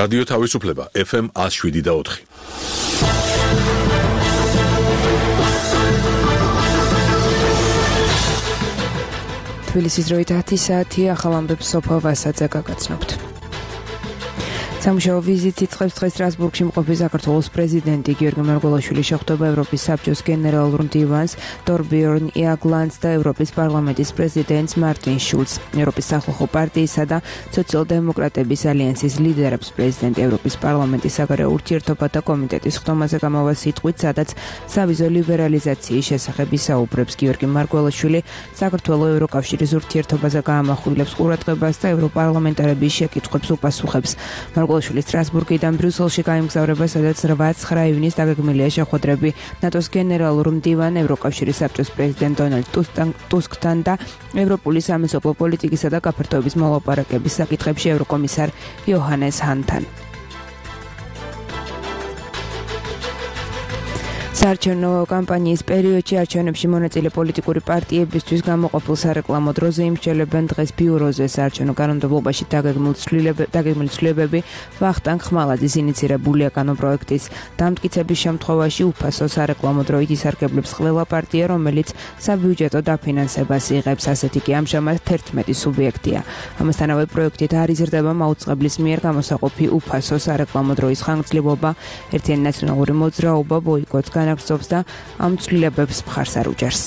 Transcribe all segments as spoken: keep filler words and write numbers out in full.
რადიო თავისუფლება ეფ ემ one oh seven და four. თბილისის დროით ათი საათი ახალ ამბებს სოფო ვასაძე გაგაცნობთ. სამუშაო ვიზიტი იწყებს დღეს სტრასბურგში მყოფი საქართველოს პრეზიდენტი გიორგი მარგველაშვილი შეხვდება ევროპის საბჭოს გენერალურ მდივანს თორბიორნ იაგლანდს და ევროპის პარლამენტის პრეზიდენტს მარტინ შულცს. ევროპის სახალხო პარტიისა და სოციალ-დემოკრატების ალიანსის ლიდერებს პრეზიდენტი ევროპის პარლამენტის საგარეო ურთიერთობათა კომიტეტის ხდომაზე გამავალ სიტყვით, სადაც სავიზო ლიბერალიზაციის შესახებ ისაუბრებს. გიორგი მარგველაშვილი საქართველოს ევროკავშირის ურთიერთობაზე გაამახვილებს ყურადღებას და ევროპარლამენტარების შეკითხვებს უპასუხებს. მარგველაშვილი სტრასბურგიდან ბრიუსელში გაემგზავრება, სადაც eight ივნის დაგეგმილია შეხვედრები ნატოს გენერალურ მდივან ევროკავშირის საბჭოს პრეზიდენტ დონალდ ტუსკთან და ევროპული სამეზობლო პოლიტიკისა და გაფართოების მოლაპარაკების საკითხებში ევროკომისარ იოჰანეს ჰანთან. საარჩევნო კამპანიის პერიოდში არჩევნებში მონაწილე პოლიტიკური პარტიებისთვის გამოყოფილ სარეკლამო დროზე იმსჯელებენ დღეს ბიუროზე. საარჩევნო კანონმდებლობაში დაგეგმილი ცვლილებები ვახტანგ ხმალაძის ინიცირებული კანონპროექტის დამტკიცების შემთხვევაში უფასო სარეკლამო დროით ისარგებლებს ყველა პარტია, რომელიც საბიუჯეტო დაფინანსებას იღებს. ასეთი კი ამჟამად თერთმეტი სუბიექტია. ამასთანავე პროექტით არ იზრდება მაუწყებლის მიერ გამოსაყოფი უფასო სარეკლამო დროის ხანგრძლივობა, ერთიანი ნაციონალური მოძრაობა ბოიკოტს განაგრძობს და ამ ცვლილებებს მხარს არ უჭერს.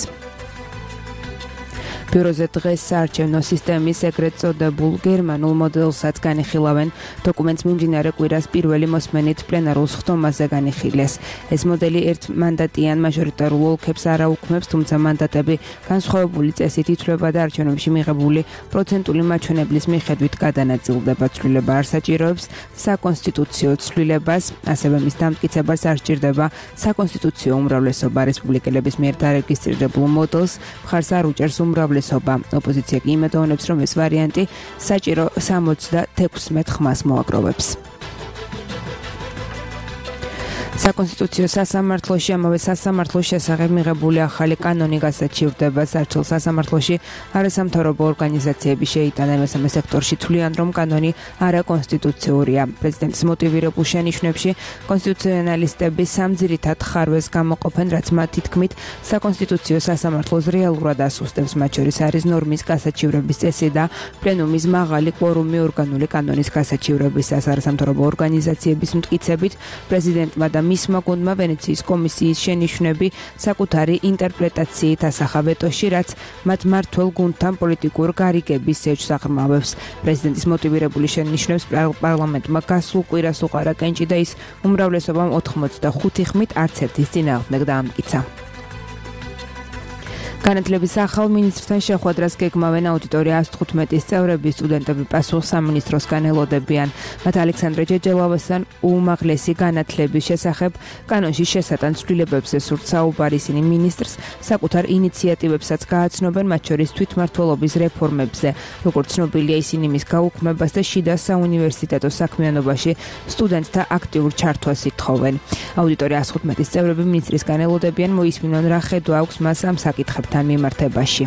ბიუროზე დღეს საარჩევნო სისტემის ეგრეთ წოდებულ გერმანულ მოდელსაც განიხილავენ. დოკუმენტს მიმდინარე კვირას პირველი მოსმენით პლენარულ ხდომაზე განიხილეს. ეს მოდელი ერთმანდატიან მაჟორიტარულ ოლქებს არ აუქმებს, თუმცა მანდატები განსხვავებული წესით ითვლება და არჩევნებში მიღებული პროცენტული მაჩვენებლის მიხედვით გადანაწილდება. ცვლილება არ საჭიროებს საკონსტიტუციო ცვლილებას, ასევე მის დამტკიცებას არ სჭირდება საკონსტიტუციო უმრავლესობა. რესპუბლიკელების მიერ დარეგისტრირებულ მოდელს მხარს არ უჭერს უმრავლესობა. ოპოზიცია კი იმედოვნებს, რომ ეს ვარიანტი საჭირო sixty-six ხმას მოაგროვებს. საკონსტიტუციო სასამართლოში ამავე სასამართლოს შესახებ მიღებული ახალი კანონი გასაჩივრდება. საერთო სასამართლოში არასამთავრობო ორგანიზაციები შეიტანენ მესამე სექტორში, თვლიან, რომ კანონი არაკონსტიტუციურია. პრეზიდენტის მოტივირებულ შენიშვნებში კონსტიტუციონალისტები სამ ძირითად ხარვეს გამოყოფენ, რაც მათი თქმით საკონსტიტუციო სასამართლოს რეალურად ასუსტებს. მათ შორის არის ნორმის გასაჩივრების წესი და პლენუმის მაღალი კვორუმი ორგანული კანონის გასაჩივრებისას. არასამთავრობო ორგანიზაციების მტკიცებით პრეზიდენტმა და მისმა გუნდმა ვენეციის კომისიის შენიშვნები საკუთარი ინტერპრეტაციით ასახა ვეტოში, რაც მათ მმართველ გუნდთან პოლიტიკურ გარიგების ზეჯს აღრმავებს. პრეზიდენტის მოტივირებული შენიშვნებს პარლამენტმა გასულ კვირას უყარა კენჭი და ის უმრავლესობამ ოცდახუთი ხმით არც ერთის წინააღმდეგ დაამტკიცა. განათლების ახალ მინისტრთან შეხვედრას გეგმავენ აუდიტორია one fifteen წევრები. სტუდენტები პასუხს სამინისტროსგან ელოდებიან. მათ ალექსანდრე ჯეჯელავასთან უმაღლესი განათლების შესახებ კანონში შესატან ცვლილებებზე სურთ საუბარი. ისინი მინისტრს საკუთარ ინიციატივებსაც გააცნობენ, მათ შორის თვითმმართველობის რეფორმებზე. როგორც ცნობილია, ისინი მის გაუქმებას და შიდა საუნივერსიტეტო საქმიანობაში სტუდენტთა აქტიურ ჩართვას ითხოვენ. აუდიტორია one fifteen წევრები მინისტრისგან ელოდებიან, მოისმინონ რა ხედვა აქვს მას ამ საკითხებთან მიმართებაში.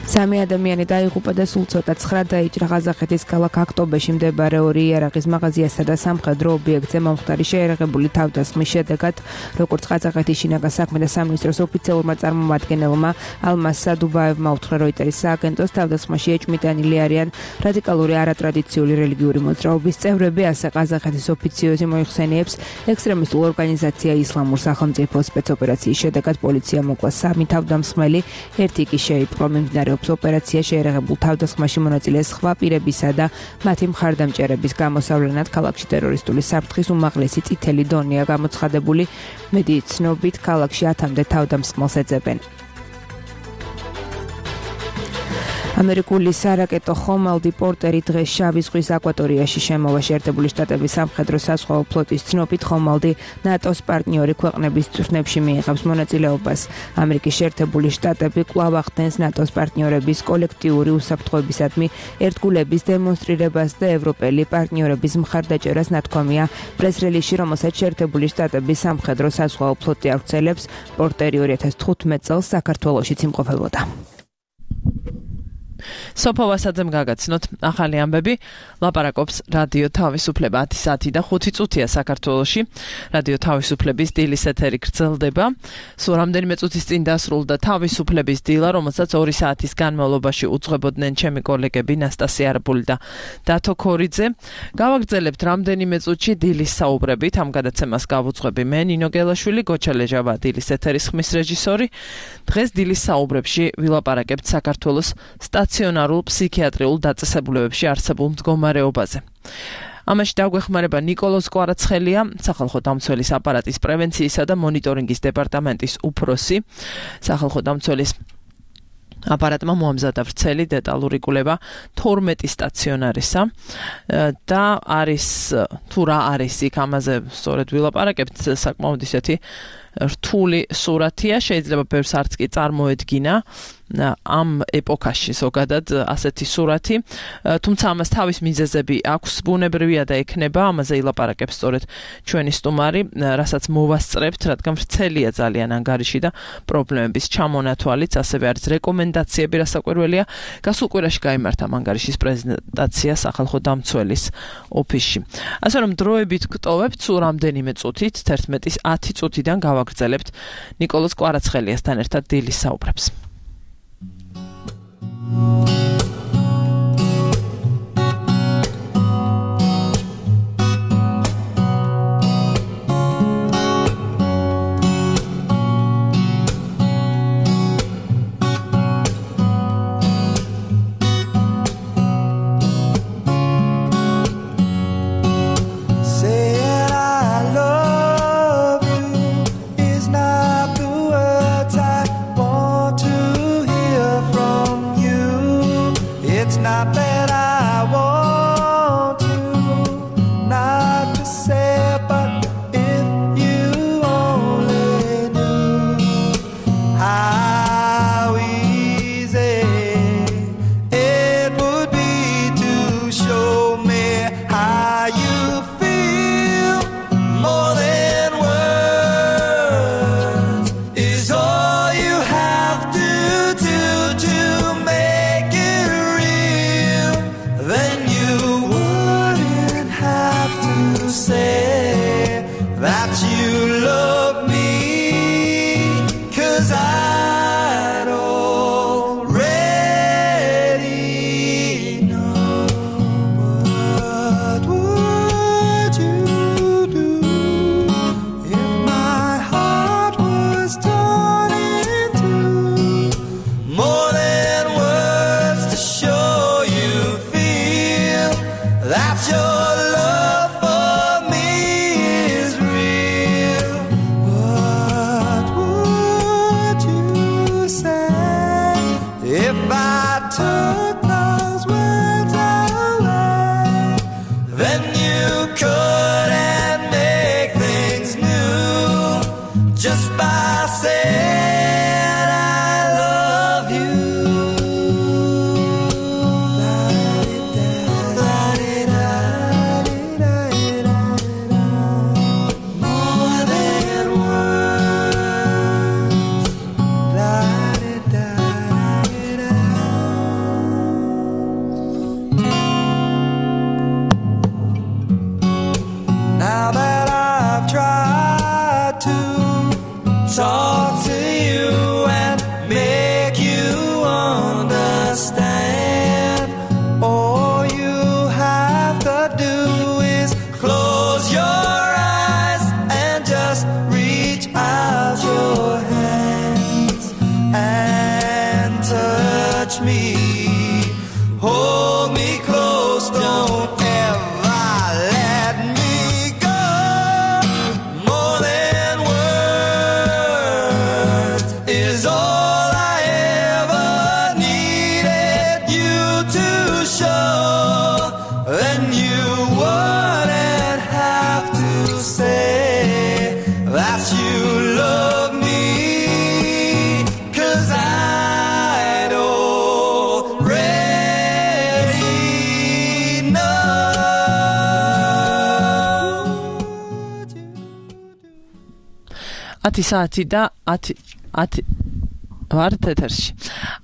სამი ადამიანი დაიღუპა და სულ ცოტა ცხრა დაიჭრა ყაზახეთის ქალაქ აქტობეში მდებარე ორი იარაღის მაღაზიასა და სამხედრო ობიექტზე მომხდარი შეიარაღებული თავდასხმის შედეგად, როგორც ყაზახეთის შინაგან საქმეთა სამინისტროს ოფიციალურმა წარმომადგენელმა ალმას სადუბაევმა უთხრა როიტერის სააგენტოს, თავდასხმაში ეჭვმიტანილი არიან რადიკალური არატრადიციული რელიგიური მოძრაობის წევრები, ასე ყაზახეთის ოფიციოზი მოიხსენიებს ექსტრემისტულ ორგანიზაცია ისლამურ სახელმწიფოს. სპეცოპერაციის შედეგად პოლიცია მოკლა სამი თავდამსხმელი, ერთი კი შეიპყრო. მიმდინარე ოპერაცია შეერაღებულ თავდასხმაში მონაწილე სხვა პირებისა და მათი მხარდამჭერების გამოსავლენად ქალაქში ტერორისტული საფრთხის უმაღლესი წითელი დონეა გამოცხადებული. მედიის ცნობით ქალაქში ათამდე თავდამსხმელს ეძებენ. ამერიკული სარაკეტო ხომალდი პორტერი დღეს შავი ზღვის აკვატორიაში შემოვა. შეერთებული შტატების სამხედრო საზღვაო ფლოტის ცნობით, ხომალდი ნატოს პარტნიორი ქვეყნების წვრთნებში მიიღებს მონაწილეობას. ამერიკის შეერთებული შტატები კვლავ ახდენს ნატოს პარტნიორების კოლექტიური უსაფრთხოებისადმი ერთგულების დემონსტრირებას და ევროპელი პარტნიორების მხარდაჭერას. ნათქვამია პრეს-რელიზში, რომელსაც შეერთებული შტატების სამხედრო საზღვაო ფლოტი ავრცელებს. პორტერი two thousand fifteen წელს საქართველოშიც იმყოფებოდა. სოფო ვასაძემ გაგაცნოთ ახალი ამბები. ლაპარაკობს რადიო თავისუფლება ათი საათი და ხუთი წუთია საქართველოში. რადიო თავისუფლების დილის ეთერი გრძელდება. სულ რამდენიმე წუთის წინ დასრულდა თავისუფლების დილა, რომელსაც ორი საათის განმავლობაში უძღვებოდნენ ჩემი კოლეგები ნასტასია არაბული და დათო ქორიძე. გავაგრძელებთ რამდენიმე წუთში დილის საუბრებით. ამ გადაცემას გავუძღვები მე ნინო გელაშვილი, გოჩა ლეჟავა დილის ეთერის ხმის რეჟისორი. დღეს დილის საუბრებში ვილაპარაკებთ საქართველოს სტაციონარულ ფსიქიატრიულ დაწესებულებებში არსებულ მდგომარეობაზე. ამაში დაგვეხმარება ნიკოლოზ კვარაცხელია, სახალხო დამცველის აპარატის პრევენციისა და მონიტორინგის დეპარტამენტის უფროსი. სახალხო დამცველის აპარატმა მოამზადა ვრცელი დეტალური კვლევა თორმეტი სტაციონარისა და არის თუ რა არის იქ ამაზე სწორედ ვილაპარაკებთ, საკმაოდ ისეთი რთული სურათია, შეიძლება ბევრს არც კი წარმოედგინა ამ ეპოქაში ზოგადად ასეთი სურათი, თუმცა ამას თავის მიზეზები აქვს, ბუნებრივია და ექნება, ამაზე ილაპარაკებს სწორედ ჩვენი სტუმარი, რასაც მოვასწრებთ, რადგან ვრცელია ძალიან ანგარიში და პრობლემების ჩამონათვალიც, ასევე არის რეკომენდაციები, რასაკვირველია, გასულ კვირაში გაიმართა ანგარიშის პრეზენტაცია სახალხო დამცველის ოფისში. ასე რომ დროებით გტოვებთ, სულ რამდენიმე წუთით, თერთმეტის ათი წუთიდან გავაგრძელებთ ნიკოლოზ კვარაცხელიასთან ერთად დილის საუბრებს. ათი საათი და ათი ათი ვართ ეთერში.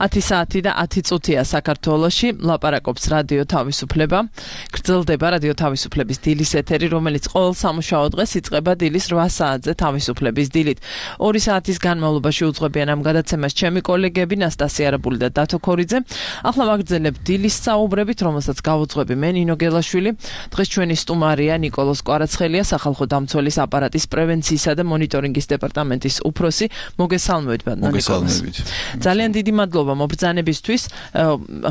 ათი საათი და ათი წუთია საქართველოში, ლაპარაკობს რადიო თავისუფლება. გრძელდება რადიო თავისუფლების დილის ეთერი, რომელიც ყოველ სამუშაო დღეს იწყება დილის რვა საათზე თავისუფლების დილით. ორი საათის განმავლობაში უძღვებიან ამ გადაცემას ჩემი კოლეგები ნასტასია არაბული და დათო ქორიძე. ახლა ვაგრძელებ დილის საუბრებით, რომელსაც გავუძღვები მე ნინო გელაშვილი. დღეს ჩვენი სტუმარია ნიკოლოზ კვარაცხელია, სახალხო დამცველის აპარატის პრევენციისა და მონიტორინგის დეპარტამენტის უფროსი. მოგესალმებით, ბატონო ნიკოლოზ. ძალიან დიდი მადლობა მობრძანებისთვის.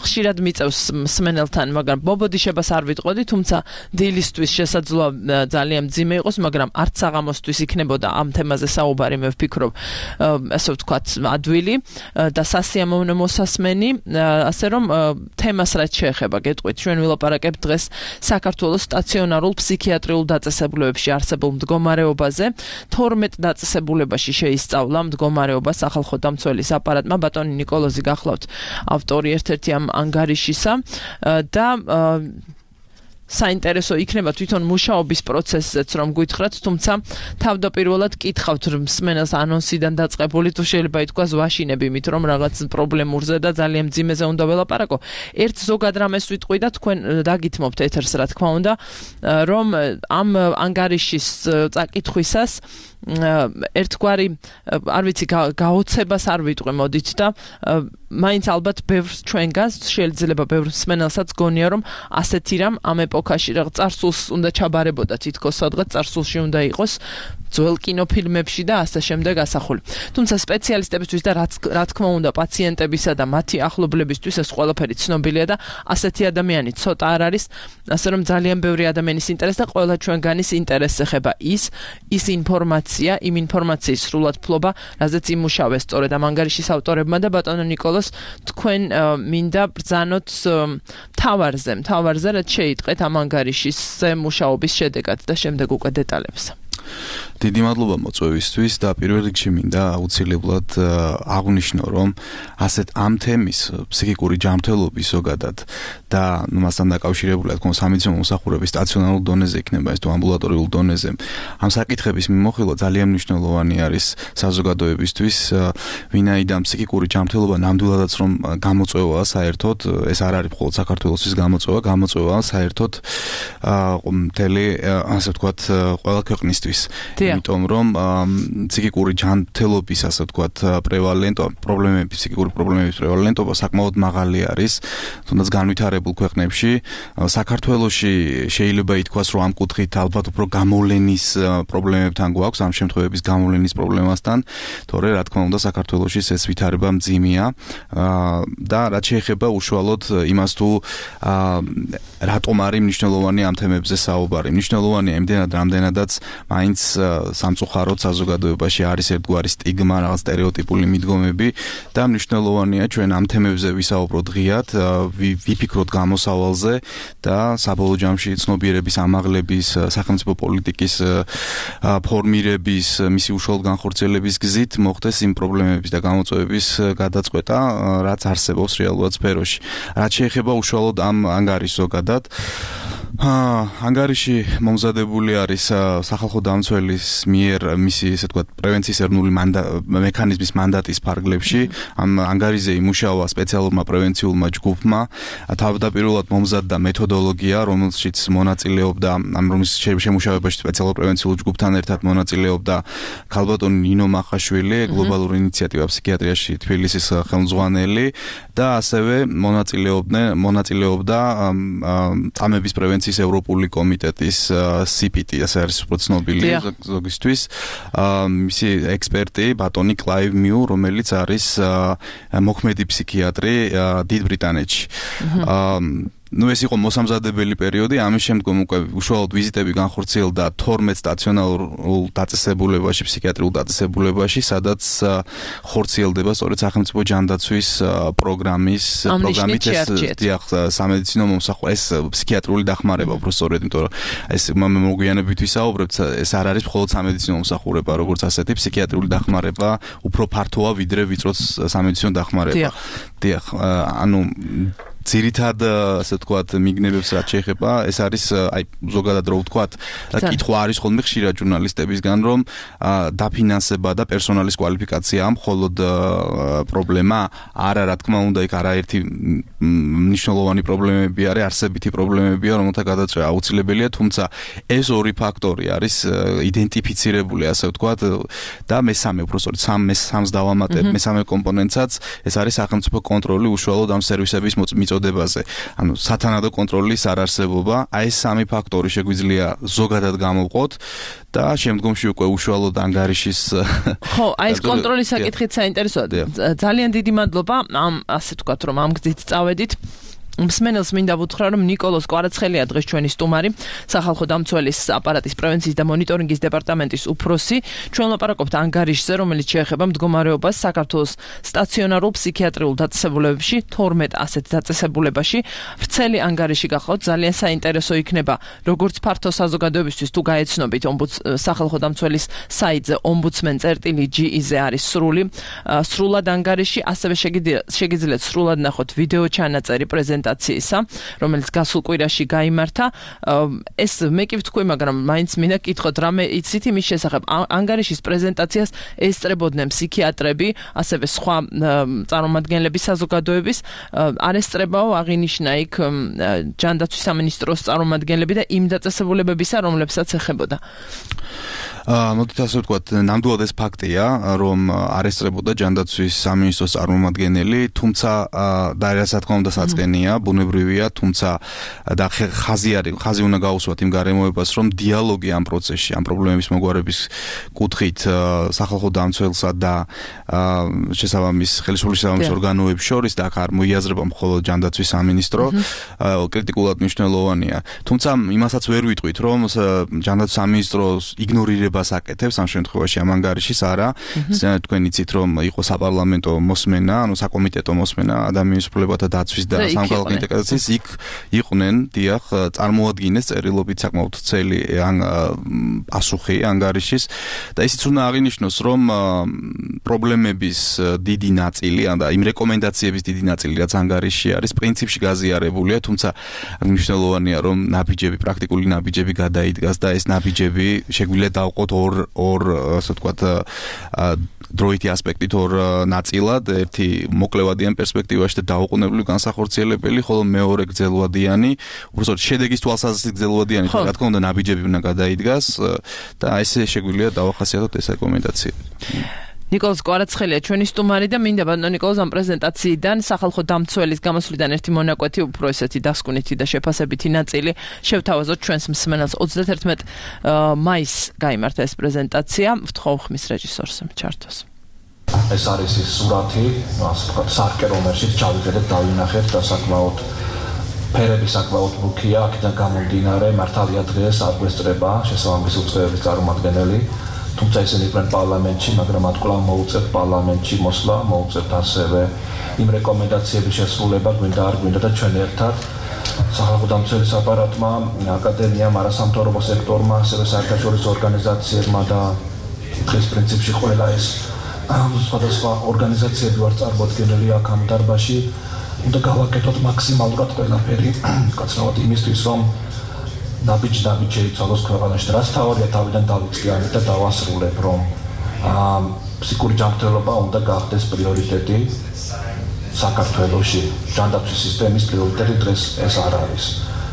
ხშირად მიწევს მსმენელთან, მაგრამ ბობოდიშებას არ ვიტყოდი, თუმცა დილისთვის შესაძლოა ძალიან მძიმე იყოს, მაგრამ არც საღამოსთვის იქნებოდა ამ თემაზე საუბარი, მე ვფიქრობ, ასე ვთქვათ, ადვილი და სასიამოვნო მოსასმენი, ასე რომ თემას რაც შეეხება, გეტყვით, ჩვენ ვილაპარაკებთ დღეს საქართველოს სტაციონარულ ფსიქიატრიულ დაწესებულებებში არსებულ მდგომარეობაზე. თორმეტ დაწესებულებაში შეისწავლა მდგომარეობა სახალხო დამცველის აპარატმა. ბატონი ნიკოლოზი გახლავთ ავტორი ერთ-ერთი ამ ანგარიშისა და საინტერესო იქნება თვითონ მუშაობის პროცესზეც რომ გითხრათ, თუმცა თავდაპირველად კითხავთ მსმენელს ანონსიდან დაწყებული, თუ შეიძლება ითქვას ვაშინები იმით, რომ რაღაც პრობლემურზე და ძალიან მძიმეზე უნდა ველაპარაკო. ერთ ზოგად რამეს ვიტყვი და თქვენ დაგითმობთ ეთერს, რა თქმა უნდა, რომ ამ ანგარიშის წაკითხვისას ერთგვარი, არ ვიცი, გაოცებას არ ვიტყვი, მოდით და მაინც ალბათ ბევრს ჩვენგანს შეიძლება ბევრ მსმენელსაც გონია, რომ ასეთი რამ ამ ეპოქაში რაღაც წარსულს უნდა ჩაბარებოდა, თითქოს სადღაც წარსულში უნდა იყოს ძველ კინოფილმებში და ასე შემდეგ ასახული. თუმცა სპეციალისტებისთვის და რა თქმა უნდა პაციენტებისა და მათი ახლობლებისთვის ეს ყველაფერი ცნობილია და ასეთი ადამიანი ცოტა არ არის, ასე რომ ძალიან ბევრი ადამიანის ინტერესს და ყველა ჩვენგანის ინტერესს ეხება ის ის ინფორმაცია, იმ ინფორმაციის სრულად ფლობა, რაზეც იმუშავეს სწორედ ამ ანგარიშის ავტორებმა და ბატონო ნიკოლოზ, თქვენ მინდა ბრძანოთ მთავარზე, მთავარზე რაც შეიტყვეთ ამ ანგარიშის მუშაობის შედეგად და შემდეგ უკვე დეტალებს. დიდი მადლობა მოწვევისთვის და პირველ რიგში მინდა აუცილებლად აღვნიშნო, რომ ასეთ ამ თემის ფსიქიკური ჯანმრთელობის ზოგადად და მასთან დაკავშირებული თქო სამედიცინო მომსახურების სტაციონარულ დონეზე იქნება ეს თუ ამბულატორიულ დონეზე ამ საკითხების მიმოხილვა ძალიან მნიშვნელოვანი არის საზოგადოებისთვის, ვინაიდან ფსიქიკური ჯანმრთელობა ნამდვილადაც რომ გამოწვევაა საერთოდ, ეს არ არის მხოლოდ საქართველოსთვის გამოწვევა, გამოწვევაა საერთოდ მთელი, ასე ვთქვათ, ყველა ქვეყნისთვის. იმიტომ რომ ფსიქიკური ჯანმრთელობის, ასე ვთქვათ, პრევალენტობა, პრობლემები, ფსიქიკური პრობლემების პრევალენტობა საკმაოდ მაღალი არის, თუნდაც განვითარებულ ქვეყნებში. საქართველოში შეიძლება ითქვას, რომ ამ კუთხით ალბათ უფრო გამოვლენის პრობლემებთან გვაქვს, ამ შემთხვევების გამოვლენის პრობლემასთან, თორე რა თქმა უნდა საქართველოში ეს ვითარება მძიმეა და რაც შეეხება უშუალოდ იმას თუ რატომ არის მნიშვნელოვანი ამ თემებზე საუბარი. მნიშვნელოვანია იმდენად, რამდენადაც მაინც სამწუხაროდ საზოგადოებაში არის ერთგვარი სტიგმა, რაღაც სტერეოტიპული მიდგომები და მნიშვნელოვანია ჩვენ ამ თემებზე ვისაუბროთ ღიად, ვიფიქროთ გამოსავალზე და საბოლოო ჯამში ცნობიერების ამაღლების, სახელმწიფო პოლიტიკის ფორმირების, მისი უშუალოდ განხორციელების გზით მოხდეს იმ პრობლემების და გამოწვევების გადაწყვეტა, რაც არსებობს რეალურად სფეროში. რაც შეეხება უშუალოდ ამ ანგარიშს ზოგადად, ანგარიში მომზადებული არის სახალხო დამცველის მიერ მისი, ესე ვთქვათ, პრევენციის ეროვნული მექანიზმის მანდატის ფარგლებში. ამ ანგარიზე იმუშავა სპეციალურმა პრევენციულმა ჯგუფმა, თავდაპირველად მომზადდა მეთოდოლოგია, რომელშიც მონაწილეობდა, ამ რომლის შემუშავებაში სპეციალურ პრევენციულ ჯგუფთან ერთად მონაწილეობდა ქალბატონი ნინო მახაშვილი, გლობალური ინიციატივა ფსიქიატრიაში თბილისის ხელმძღვანელი და ასევე მონაწილეობდნენ, მონაწილეობდა წამების პრევენციის ევროპული კომიტეტის სი პი ტი, ასე არის უფრო ცნობილი ზოგისთვის, მისი ექსპერტი ბატონი კლაივ მიუ, რომელიც არის მოქმედი ფსიქიატრი დიდ ბრიტანეთში. ნუ ეს იყო მოსამზადებელი პერიოდი, ამის შემდგომ უკვე უშუალოდ ვიზიტები განხორციელდა თორმეტ სტაციონარულ დაწესებულებაში, ფსიქიატრიულ დაწესებულებაში, სადაც ხორციელდება სწორედ სახელმწიფო ჯანდაცვის პროგრამის პროგრამით ეს დიახ სამედიცინო მომსახურება, ეს ფსიქიატრიული დახმარება, უფრო სწორედ, იმიტომ რომ ეს მოგვიანებით ვისაუბრებთ, ეს არ არის მხოლოდ სამედიცინო მომსახურება, როგორც ასეთი ფსიქიატრიული დახმარება უფრო ფართოა ვიდრე ვიწრო სამედიცინო დახმარება. დიახ, ანუ ძირითად ასე ვთქვათ მიგნებებს რაც შეეხება ეს არის აი ზოგადად რო ვთქვათ კითხვა არის ხოლმე ხშირად ჟურნალისტებისგან რომ დაფინანსება და პერსონალის კვალიფიკაცია მხოლოდ პრობლემა არა რა თქმა უნდა იქ არაერთი მნიშვნელოვანი პრობლემები არის არსებითი პრობლემებია რომელთა გადაწყვეტა აუცილებელია თუმცა ეს ორი ფაქტორი არის იდენტიფიცირებული ასე ვთქვათ და მესამე უბრალოდ სამ სამს დავამატებ მესამე კომპონენტსაც ეს არის სახელმწიფო კონტროლი უშუალოდ ამ სერვისების მიწოდებაზე ანუ სათანადო კონტროლის არარსებობა აი ეს სამი ფაქტორი შეგვიძლია ზოგადად გამოვყოთ და შემდგომში უკვე უშუალოდ ანგარიშის ხო აი ეს კონტროლის საკითხიც საინტერესოა ძალიან დიდი მადლობა ამ ასე ვთქვათ რომ ამ გზით წავედით მსმენელს მინდა ვუთხრა რომ ნიკოლოზ კვარაცხელია დღეს ჩვენი სტუმარი სახალხო დამცველის აპარატის პრევენციის და მონიტორინგის დეპარტამენტის უფროსი ჩვენ ლაპარაკობთ ანგარიშზე რომელიც შეეხება მდგომარეობას საქართველოს სტაციონარულ ფსიქიატრიულ დაწესებულებებში თორმეტ ასეთ დაწესებულებაში ვრცელი ანგარიში გახავთ ძალიან საინტერესო იქნება როგორც ფართო საზოგადოებისთვის თუ გაეცნობით სახალხო დამცველის საიტზე ombudsman.gr-ზე არის სრული სრულად ანგარიში ასევე შეგიძლიათ სრულად ნახოთ ვიდეო ჩანაწერი პრეზენტაცია რომელიც გასულ კვირაში გაიმართა ეს მე კი ვთქვი მაგრამ მაინც მინდა კითხოთ რამე იცით იმის შესახებ ანგარიშის პრეზენტაციას ესწრებოდნენ ფსიქიატრები ასევე სხვა წარმომადგენლები საზოგადოების არ ესწრებაო აღინიშნა იქ ჯანდაცვის სამინისტროს წარმომადგენლები და იმ დაწესებულებებისა რომლებსაც ეხებოდა მოდით ასე ვთქვათ ნამდვილად ეს ფაქტია რომ არ ესწრებოდა ჯანდაცვის სამინისტროს წარმომადგენელი თუმცა და რა თქმა უნდა საწყენია ბუნებრივია თუმცა და ხაზი არის ხაზი უნდა გაუსვათ იმ გარემოებას რომ დიალოგი ამ პროცესში ამ პრობლემების მოგვარების კუთხით სახალხო დამცველსა და შესაბამის ხელისუფლების შესაბამის ორგანოებს შორის და აქ არ მოიაზრება მხოლოდ ჯანდაცვის სამინისტრო კრიტიკულად მნიშვნელოვანია თუმცა იმასაც ვერ ვიტყვით რომ ჯანდაცვის სამინისტროს იგნორირება აკეთებს ამ შემთხვევაში ამ ანგარიშის არა თქვენ იცით რომ იყო საპარლამენტო მოსმენა ანუ საკომიტეტო მოსმენა ადამიანის უფლებათა დაცვის და სამხალხო ინტეგრაციის იქ იყვნენ დიახ წარმოადგენეს წერილობით საკმაოდ ცელი პასუხი ანგარიშის და ისიც უნდა აღინიშნოს რომ პრობლემების დიდი ნაწილი და იმ რეკომენდაციების დიდი ნაწილი რაც ანგარიში არის პრინციპში გაზიარებულია თუმცა მნიშვნელოვანია რომ ნაბიჯები პრაქტიკული ნაბიჯები გადაიდგას და ეს ნაბიჯები შეგვიძლია დავყოთ ორ ორ ასე ვთქვათ დროითი ასპექტით ორ ნაწილად ერთი მოკლევადიან პერსპექტივაში და დაუყოვნებლივ განსახორციელებელი ხოლო მეორე გრძელვადიანი უბრალოდ შედეგის თვალსაზრისით გრძელვადიანი რა თქმა უნდა ნაბიჯები უნდა გადაიდგას და ესე შეგვიძლია დავახასიათოთ ეს რეკომენდაციები ნიკოლოზ კვარაცხელია ჩვენი სტუმარი და მინდა ბატონო ნიკოლოზ ამ პრეზენტაციიდან სახალხო დამცველის გამოსვლიდან ერთი მონაკვეთი უფრო ესეთი დასკვნითი და შეფასებითი ნაწილი შევთავაზოთ ჩვენს მსმენელს ოცდაათერთმეტ მაისს გაიმართა ეს პრეზენტაცია ვთხოვ ხმის რეჟისორს ჩართოს ეს არის ის სურათი ასე ვთქვათ სარკე რომელშიც ჩავიხედეთ დავინახეთ და საკმაოდ ფერები საკმაოდ მუქია აქედან გამომდინარე მართალია დღეს არ გვესწრება შესაბამისი უწყებების წარმომადგენელი თუმცა ისინი იყვნენ პარლამენტში, მაგრამ მათ კვლავ მოუწევთ პარლამენტში მოსვლა, მოუწევთ ასევე იმ რეკომენდაციების შესრულება, გვინდა არ გვინდა და ჩვენ ერთად სახალხო დამცველის აპარატმა, აკადემიამ, არასამთავრობო სექტორმა, ასევე საერთაშორისო ორგანიზაციებმა და დღეს პრინციპში ყველა ეს სხვადასხვა ორგანიზაციები ვარ წარმოდგენილი აქ ამ დარბაზში, უნდა გავაკეთოთ მაქსიმალურად ყველაფერი, კაცრავად იმისთვის, რომ ნაბიჯი ნაბიჯი შეიცვალოს ქვეყანაში და რაც თავარია თავიდან დავიწყიანებ და დავასრულებ რომ ფსიქიკური ჯანმრთელობა უნდა გახდეს პრიორიტეტი საქართველოში ჯანდაცვის სისტემის პრიორიტეტი დღეს ეს არ არის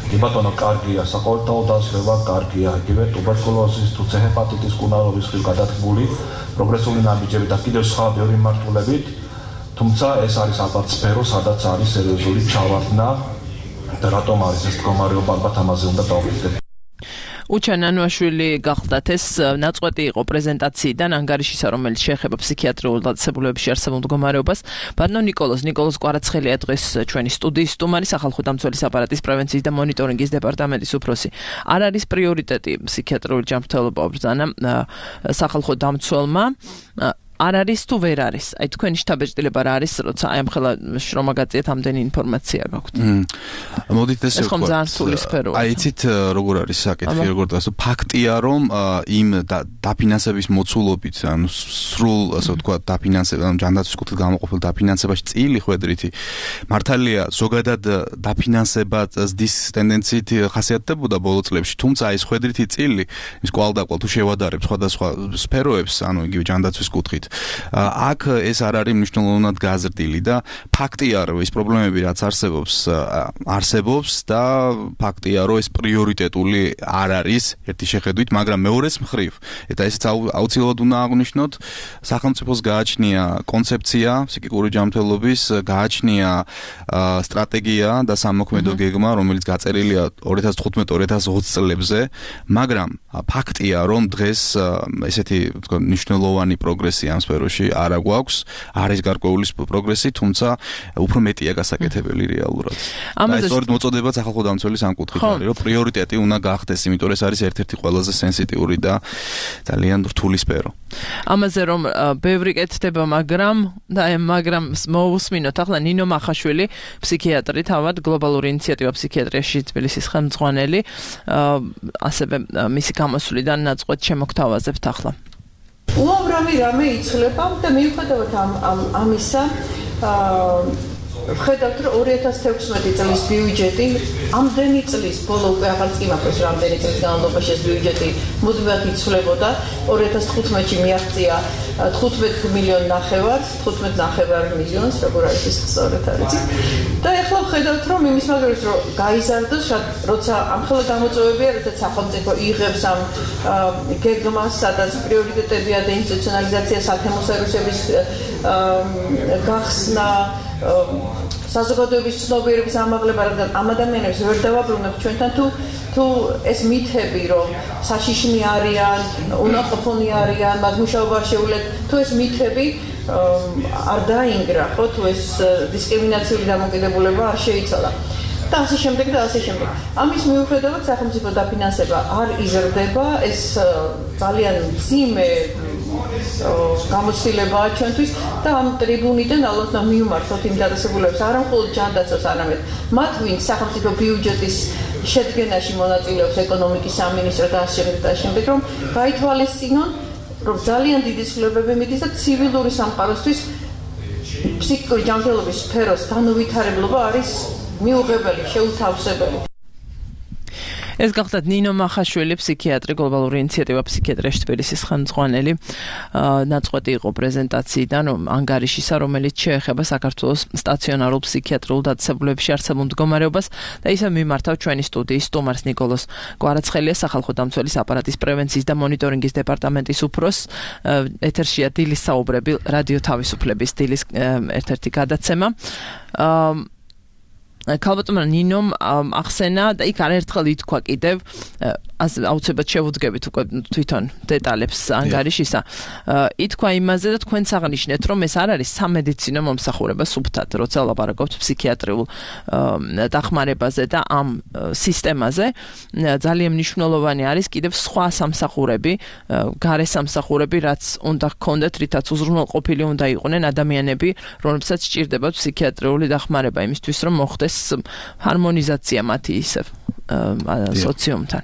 კი ბატონო კარგია საყოველთაო დაზრება კარგია იგივე ტუბერკულოზის თუ ცეჰეპატიტის კუნარობის ხილ გადადგმული პროგრესული ნაბიჯები და კიდევ სხვა ბევრი მართულებით თუმცა ეს არის ალბათ სფერო სადაც არის სერიოზული ჩავარდნა და რატომ არის ეს მდგომარეობა ალბათ ამაზე უნდა დავიწყდეთ უჩან ანუაშვილი გახლდათ ეს ნაწყვეტი იყო პრეზენტაციიდან ანგარიშისა რომელიც შეეხება ფსიქიატრიულ დაწესებულებებში არსებულ მდგომარეობას ბატონო ნიკოლოზ ნიკოლოზ კვარაცხელია დღეს ჩვენი სტუდიის სტუმარი სახალხო დამცველის აპარატის პრევენციის და მონიტორინგის დეპარტამენტის უფროსი არ არის პრიორიტეტი ფსიქიატრიული ჯანმრთელობა ბრძანა სახალხო დამცველმა არ არის თუ ვერ არის? აი თქვენი შთაბეჭდილება რა არის, როცა აი ამ ხელა შრომა გაწიეთ ამდენი ინფორმაცია გაქვთ? მოდით ესე ეს ხომ ძალიან რთული სფეროა. აი იცით როგორ არის საკითხი, როგორ და ფაქტია რომ იმ დაფინანსების მოცულობით, ანუ სრულ ასე ვთქვათ დაფინანსება, ანუ ჯანდაცვის კუთხით გამოყოფილ დაფინანსებაში წილი ხვედრითი მართალია ზოგადად დაფინანსება ზრდის ტენდენციით ხასიათდებოდა ბოლო წლებში, თუმცა ეს ხვედრითი წილი ის კვალდაკვალ თუ შევადარებ სხვადასხვა სფეროებს, ანუ იგივე ჯანდაცვის კუთხით აქ ეს არ არის მნიშვნელოვნად გაზრდილი და ფაქტია რომ ეს პრობლემები რაც არსებობს არსებობს და ფაქტია რომ ეს პრიორიტეტული არ არის ერთი შეხედვით, მაგრამ მეორეს მხრივ და ესეც აუცილებლად უნდა აღვნიშნოთ, სახელმწიფოს გააჩნია კონცეფცია ფსიქიკური ჯანმრთელობის, გააჩნია სტრატეგია და სამოქმედო გეგმა, რომელიც გაწერილია ორი ათას თხუთმეტ ორი ათას ოცი წლებზე, მაგრამ ფაქტია რომ დღეს ესეთი თქო მნიშვნელოვანი პროგრესი ამ სფეროში არ აგვაქვს, არის გარკვეული პროგრესი, თუმცა უფრო მეტია გასაკეთებელი რეალურად. და ეს სწორედ მოწოდება სახალხო დამცველის ამ კუთხით არის, რომ პრიორიტეტი უნდა გახდეს, იმიტომ რომ ეს არის ერთ-ერთი ყველაზე სენსიტიური და ძალიან რთული სფერო. ამაზე რომ ბევრი კეთდება, მაგრამ და მაგრამ მოусმინოთ ახლა ნინო მახაშვილი, ფსიქიატრი, თავად გლობალური ინიციატივა ფსიქიატრიაში თბილისის ხელმძღვანელი, ასევე მისი გამოსვლიდან ნაწყვეტ შემოგთავაზებთ ახლა. უამრავი რამე იცვლება და მიუხედავად ამ ამისა ვხედავთ რომ ორი ათას თექვსმეტი წლის ბიუჯეტი ამდენი წლის ბოლო უკვე აღარ წიმახოს რამდენი წლის განმავლობაში ეს ბიუჯეტი მუდმივად იცვლებოდა ორი ათას თხუთმეტში მიაღწია თხუთმეტ მილიონი ნახევარს თხუთმეტ ნახევარ მილიონს როგორ არის ეს სწორად არის და ახლა ვხედავთ რომ იმის მაგალითად რომ გაიზარდოს როცა ამხელა გამოწვევებია როცა სახელმწიფო იღებს ამ გეგმას სადაც პრიორიტეტებია და ინსტიტუციონალიზაცია საქმო სერვისების გახსნა საზოგადოების ცნობიერების ამაღლება, რადგან ამ ადამიანებს ვერ დავაბრუნებთ ჩვენთან თუ თუ ეს მითები რომ საშიშნი არიან, უნაყოფონი არიან, მათ მუშაობა შეუძლეთ, თუ ეს მითები არ დაინგრა, ხო, თუ ეს დისკრიმინაციული დამოკიდებულება არ შეიცვალა. და ასე შემდეგ და ასე შემდეგ. ამის მიუხედავად სახელმწიფო დაფინანსება არ იზრდება, ეს ძალიან მძიმე გამოცდილებაა ჩვენთვის და ამ ტრიბუნიდან ალბათ მივმართოთ იმ დადასტურებებს არა მხოლოდ ჯანდაცვას, არამედ მათ ვინც სახელმწიფო ბიუჯეტის შედგენაში მონაწილეობს ეკონომიკის სამინისტრო და ასე შემდეგ და ასე შემდეგ, რომ გაითვალისწინონ, რომ ძალიან დიდი ცვლილებები მიდის და ცივილური სამყაროსთვის ფსიქიკური ჯანმრთელობის სფეროს განუვითარებლობა არის მიუღებელი, შეუთავსებელი. ეს გახლავთ ნინო მახაშვილი, ფსიქიატრი, გლობალური ინიციატივა ფსიქიატრიაში თბილისის ხელმძღვანელი, ნაწყვეტი იყო პრეზენტაციიდან ანგარიშისა, რომელიც შეეხება საქართველოს სტაციონარულ ფსიქიატრიულ დაწესებულებებში არსებულ მდგომარეობას და ისე მიმართავ ჩვენი სტუდიის სტუმარს ნიკოლოზ კვარაცხელია, სახალხო დამცველის აპარატის პრევენციის და მონიტორინგის დეპარტამენტის უფროსს. ეთერშია დილის საუბრები, რადიო თავისუფლების დილის ერთ-ერთი გადაცემა. ქალბატონმა ნინომ ახსენა და იქ არაერთხელ ითქვა კიდევ აუცილებლად შევუდგებით უკვე თვითონ დეტალებს ანგარიშისა. ითქვა იმაზე და თქვენც აღნიშნეთ, რომ ეს არ არის სამედიცინო მომსახურება სუფთად, როცა ლაპარაკობთ ფსიქიატრიულ დახმარებაზე და ამ სისტემაზე ძალიან მნიშვნელოვანი არის კიდევ სხვა სამსახურები, გარე სამსახურები, რაც უნდა ჰქონდეთ, რითაც უზრუნველყოფილი უნდა იყვნენ ადამიანები, რომლებსაც სჭირდებათ ფსიქიატრიული დახმარება იმისთვის, რომ მოხდეს ჰარმონიზაცია მათი ისევ სოციუმთან.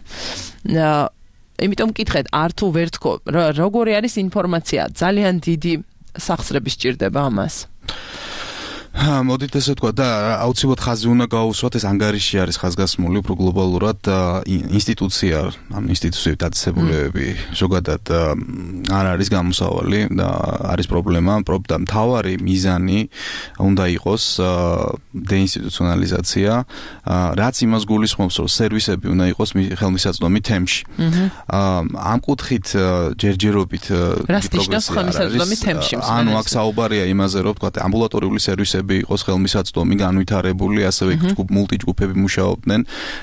იმიტომ მკითხეთ, არ თუ ვერ თქო, როგორი არის ინფორმაცია, ძალიან დიდი სახსრები სჭირდება ამას. მოდით ესე ვთქვა და აუცილებლად ხაზი უნდა გაუსვათ, ეს ანგარიში არის ხაზგასმული უფრო გლობალურად ინსტიტუცია, ამ ინსტიტუციების დაწესებულებები ზოგადად არ არის გამოსავალი და არის პრობლემა, და მთავარი მიზანი უნდა იყოს დეინსტიტუციონალიზაცია, რაც იმას გულისხმობს, რომ სერვისები უნდა იყოს ხელმისაწვდომი თემში. ამ კუთხით ჯერჯერობით პროგრესი არის. ანუ აქ საუბარია იმაზე, რომ ვთქვათ, ამბულატორიული სერვისები სერვისები იყოს ხელმისაწვდომი, განვითარებული, ასევე ჯგუფ მულტიჯგუფები მუშაობდნენ.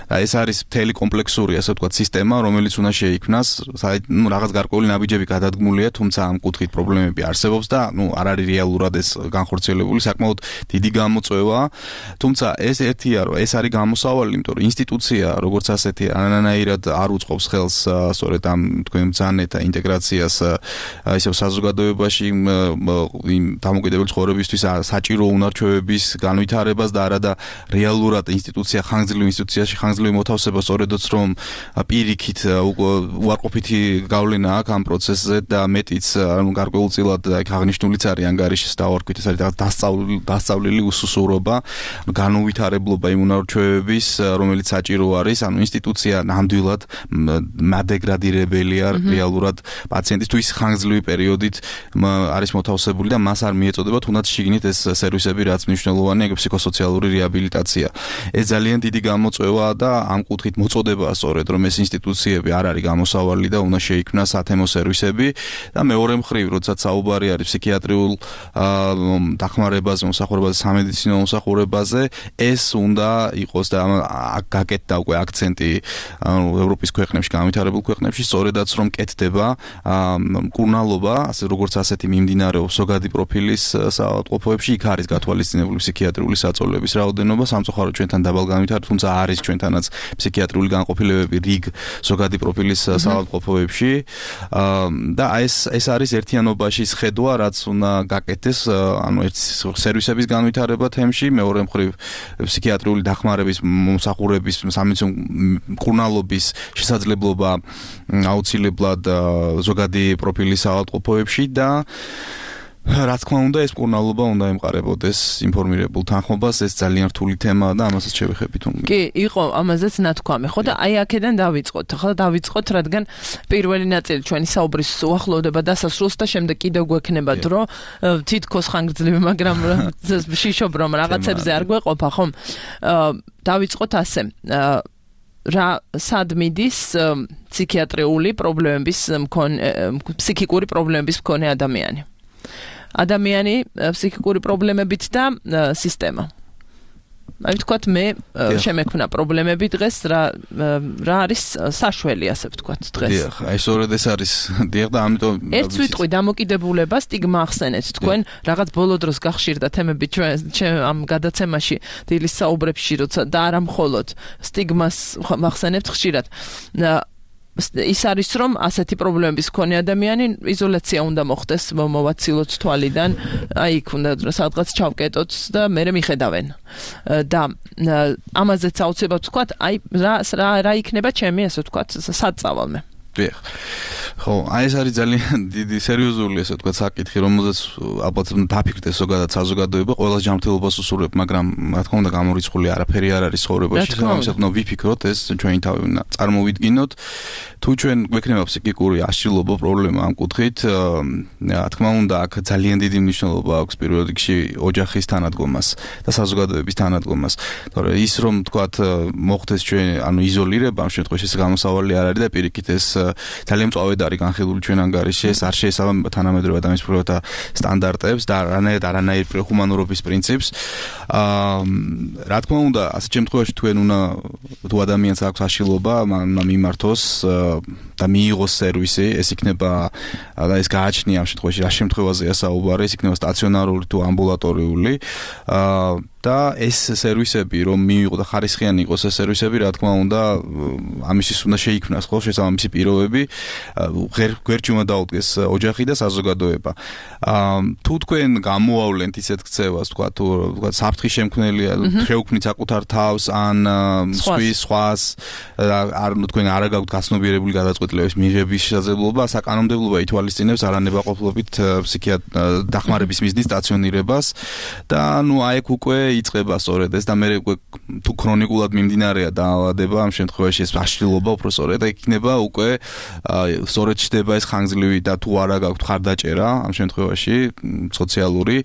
და ეს არის მთელი კომპლექსური, ასე ვთქვათ, სისტემა, რომელიც უნდა შეიქმნას, ну, რაღაც გარკვეული ნაბიჯები გადადგმულია, თუმცა ამ კუთხით პრობლემები არსებობს და, ну, არ არის რეალურად ეს განხორციელებული, საკმაოდ დიდი გამოწვევა. თუმცა ეს ერთია, რომ ეს არის გამოსავალი, იმიტომ რომ ინსტიტუცია, როგორც ასეთი, არანაირად არ უწყობს ხელს სწორედ ამ თქვენ ბრძანებთა ინტეგრაციას ისევ საზოგადოებაში იმ დამოუკიდებელი ცხოვრებისთვის საჭირო უნარჩვევების განვითარებას და არადა რეალურად ინსტიტუცია ხანგრძლივ ინსტიტუციაში ხანგრძლივი მოთავსება სწორედაც რომ პირიქით უარყოფითი გავლენა აქვს ამ პროცესზე და მეტიც ანუ გარკვეულწილად აქ აღნიშნულიც არის ანგარიშის დავარქვით ეს არის დასწავლილი უსუსურობა განუვითარებლობა იმ უნარჩვევების რომელიც საჭირო არის ანუ ინსტიტუცია ნამდვილად მადეგრადირებელია რეალურად პაციენტის თუ ის ხანგრძლივი პერიოდით არის მოთავსებული და მას არ მიეწოდება თუნდაც შიგნით ეს სერვისები რაც მნიშვნელოვანია ეგ ფსიქოსოციალური რეაბილიტაცია ეს ძალიან დიდი გამოწვევაა და ამ კუთხით მოწოდებაა სწორედ რომ ეს ინსტიტუციები არ არის გამოსავალი და უნდა შეიქმნას სათემო სერვისები და მეორე მხრივ როდესაც საუბარი არის ფსიქიატრიულ დახმარებაზე მოსახურებაზე სამედიცინო მოსახურებაზე ეს უნდა იყოს და გაკეთდა უკვე აქცენტი ევროპის ქვეყნებში განვითარებულ ქვეყნებში სწორედაც რომ კეთდება მკურნალობა ასე როგორც ასეთი მიმდინარეობს ზოგადი პროფილის საავადმყოფოებში იქ არის გათვალისწინებული ფსიქიატრიული საწოლების რაოდენობა სამწუხაროდ ჩვენთან დაბალ განვითარებულ თუმცა არის ჩვენთანაც ფსიქიატრიული განყოფილებები რიგ ზოგადი პროფილის საავადმყოფოებში და ეს ეს არის ერთიანობაში სხედვა რაც უნდა გაკეთდეს ანუ ერთ სერვისების განვითარება თემში მეორე მხრივ ფსიქიატრიული დახმარების მომსახურების სამედიცინო მკურნალობის შესაძლებლობა აუცილებლად ზოგადი პროფილის საავადმყოფოებში და რა თქმა უნდა ეს მკურნალობა უნდა ემყარებოდეს ინფორმირებულ თანხმობას ეს ძალიან რთული თემაა და ამასაც შევეხებით უნდა კი იყო ამაზეც ნათქვამი ხო და აი აქედან დავიწყოთ ახლა დავიწყოთ რადგან პირველი ნაწილი ჩვენი საუბრის უახლოვდება დასასრულს და შემდეგ კიდევ გვექნება დრო თითქოს ხანგრძლივი მაგრამ შიშობ რომ რაღაცებზე არ გვეყოფა ხომ დავიწყოთ ასე რა სად მიდის ფსიქიატრიული პრობლემების მქონე ფსიქიკური პრობლემების მქონე ადამიანი ადამიანი ფსიქიკური პრობლემებით და სისტემა. აი ვთქვათ მე შემექმნა პრობლემები დღეს რა რა არის საშველი ასე ვთქვათ დღეს. დიახ, აი სწორედ ეს არის დიახ და ამიტომ ერთ სიტყვი დამოკიდებულება სტიგმა ახსენეთ თქვენ რაღაც ბოლო დროს გახშირდა თემები ჩვენ ამ გადაცემაში დილის საუბრებში როცა და არა მხოლოდ სტიგმას ახსენებთ ხშირად. ის არის რომ ასეთი პრობლემების მქონე ადამიანი იზოლაცია უნდა მოხდეს მოვაცილოთ თვალიდან აი იქ უნდა სადღაც ჩავკეტოთ და მე მიხედავენ და ამაზეც აუცილებლად ვთქვათ აი რა რა იქნება ჩემი ასე ვთქვათ საწავალმე დიახ ხო აი ეს არის ძალიან დიდი სერიოზული ასე ვთქვათ საკითხი რომელზეც ალბათ დაფიქრდეს ზოგადად საზოგადოება ყველა ჯანმრთელობას უსურვებ მაგრამ რა თქმა უნდა გამორიცხული არაფერი არ არის ცხოვრებაში ამასაც უნდა ვიფიქროთ ეს ჩვენი თავი უნდა წარმოვიდგინოთ თუ ჩვენ გვექნება ფსიქიკური აშლილობა პრობლემა ამ კუთხით რა თქმა უნდა აქ ძალიან დიდი მნიშვნელობა აქვს პირველ რიგში ოჯახის თანადგომას და საზოგადოების თანადგომას თორე ის რომ ვთქვათ მოხდეს ჩვენ ანუ იზოლირება ამ შემთხვევაში ეს გამოსავალი არ არის და პირიქით ეს ძალიან მწვავედ არის განხილული ჩვენ ანგარიში ეს არ შეესაბამება თანამედროვე ადამიანის პრობლემათა სტანდარტებს და არანაირ არანაირ ჰუმანურობის პრინციპს აა რა თქმა უნდა ასეთ შემთხვევაში თქვენ უნდა თუ ადამიანს აქვს აშლილობა უნდა მიმართოს და მიიღოს სერვისი ეს იქნება და ეს გააჩნია ამ შემთხვევაში რა შემთხვევაზეა საუბარი ეს იქნება სტაციონარული თუ ამბულატორიული აა და ეს სერვისები რომ მიიღო და ხარისხიანი იყოს ეს სერვისები რა თქმა უნდა ამისთვის უნდა შეიქმნას ხო შესაბამისი პირობები გვერდში უნდა დაუდგეს ოჯახი და საზოგადოება თუ თქვენ გამოავლენთ ისეთ ქცევას თქვა თუ თქვა საფრთხის შემქმნელია შეუქმნით საკუთარ თავს ან სხვის სხვას არ თქვენ არ გაქვთ გაცნობიერებული გადაწყვეტილების მიღების შესაძლებლობა საკანონმდებლობა ითვალისწინებს არანებაყოფლობით ფსიქიატრ დახმარების მიზნის სტაციონირებას და ნუ აი უკვე იწყება სწორედ ეს და მე თუ ქრონიკულად მიმდინარეა დაავადება ამ შემთხვევაში ეს აშლილობა უფრო სწორედ იქნება უკვე სწორედ ჩდება ეს ხანგრძლივი და თუ არა გაქვთ ხარდაჭერა ამ შემთხვევაში სოციალური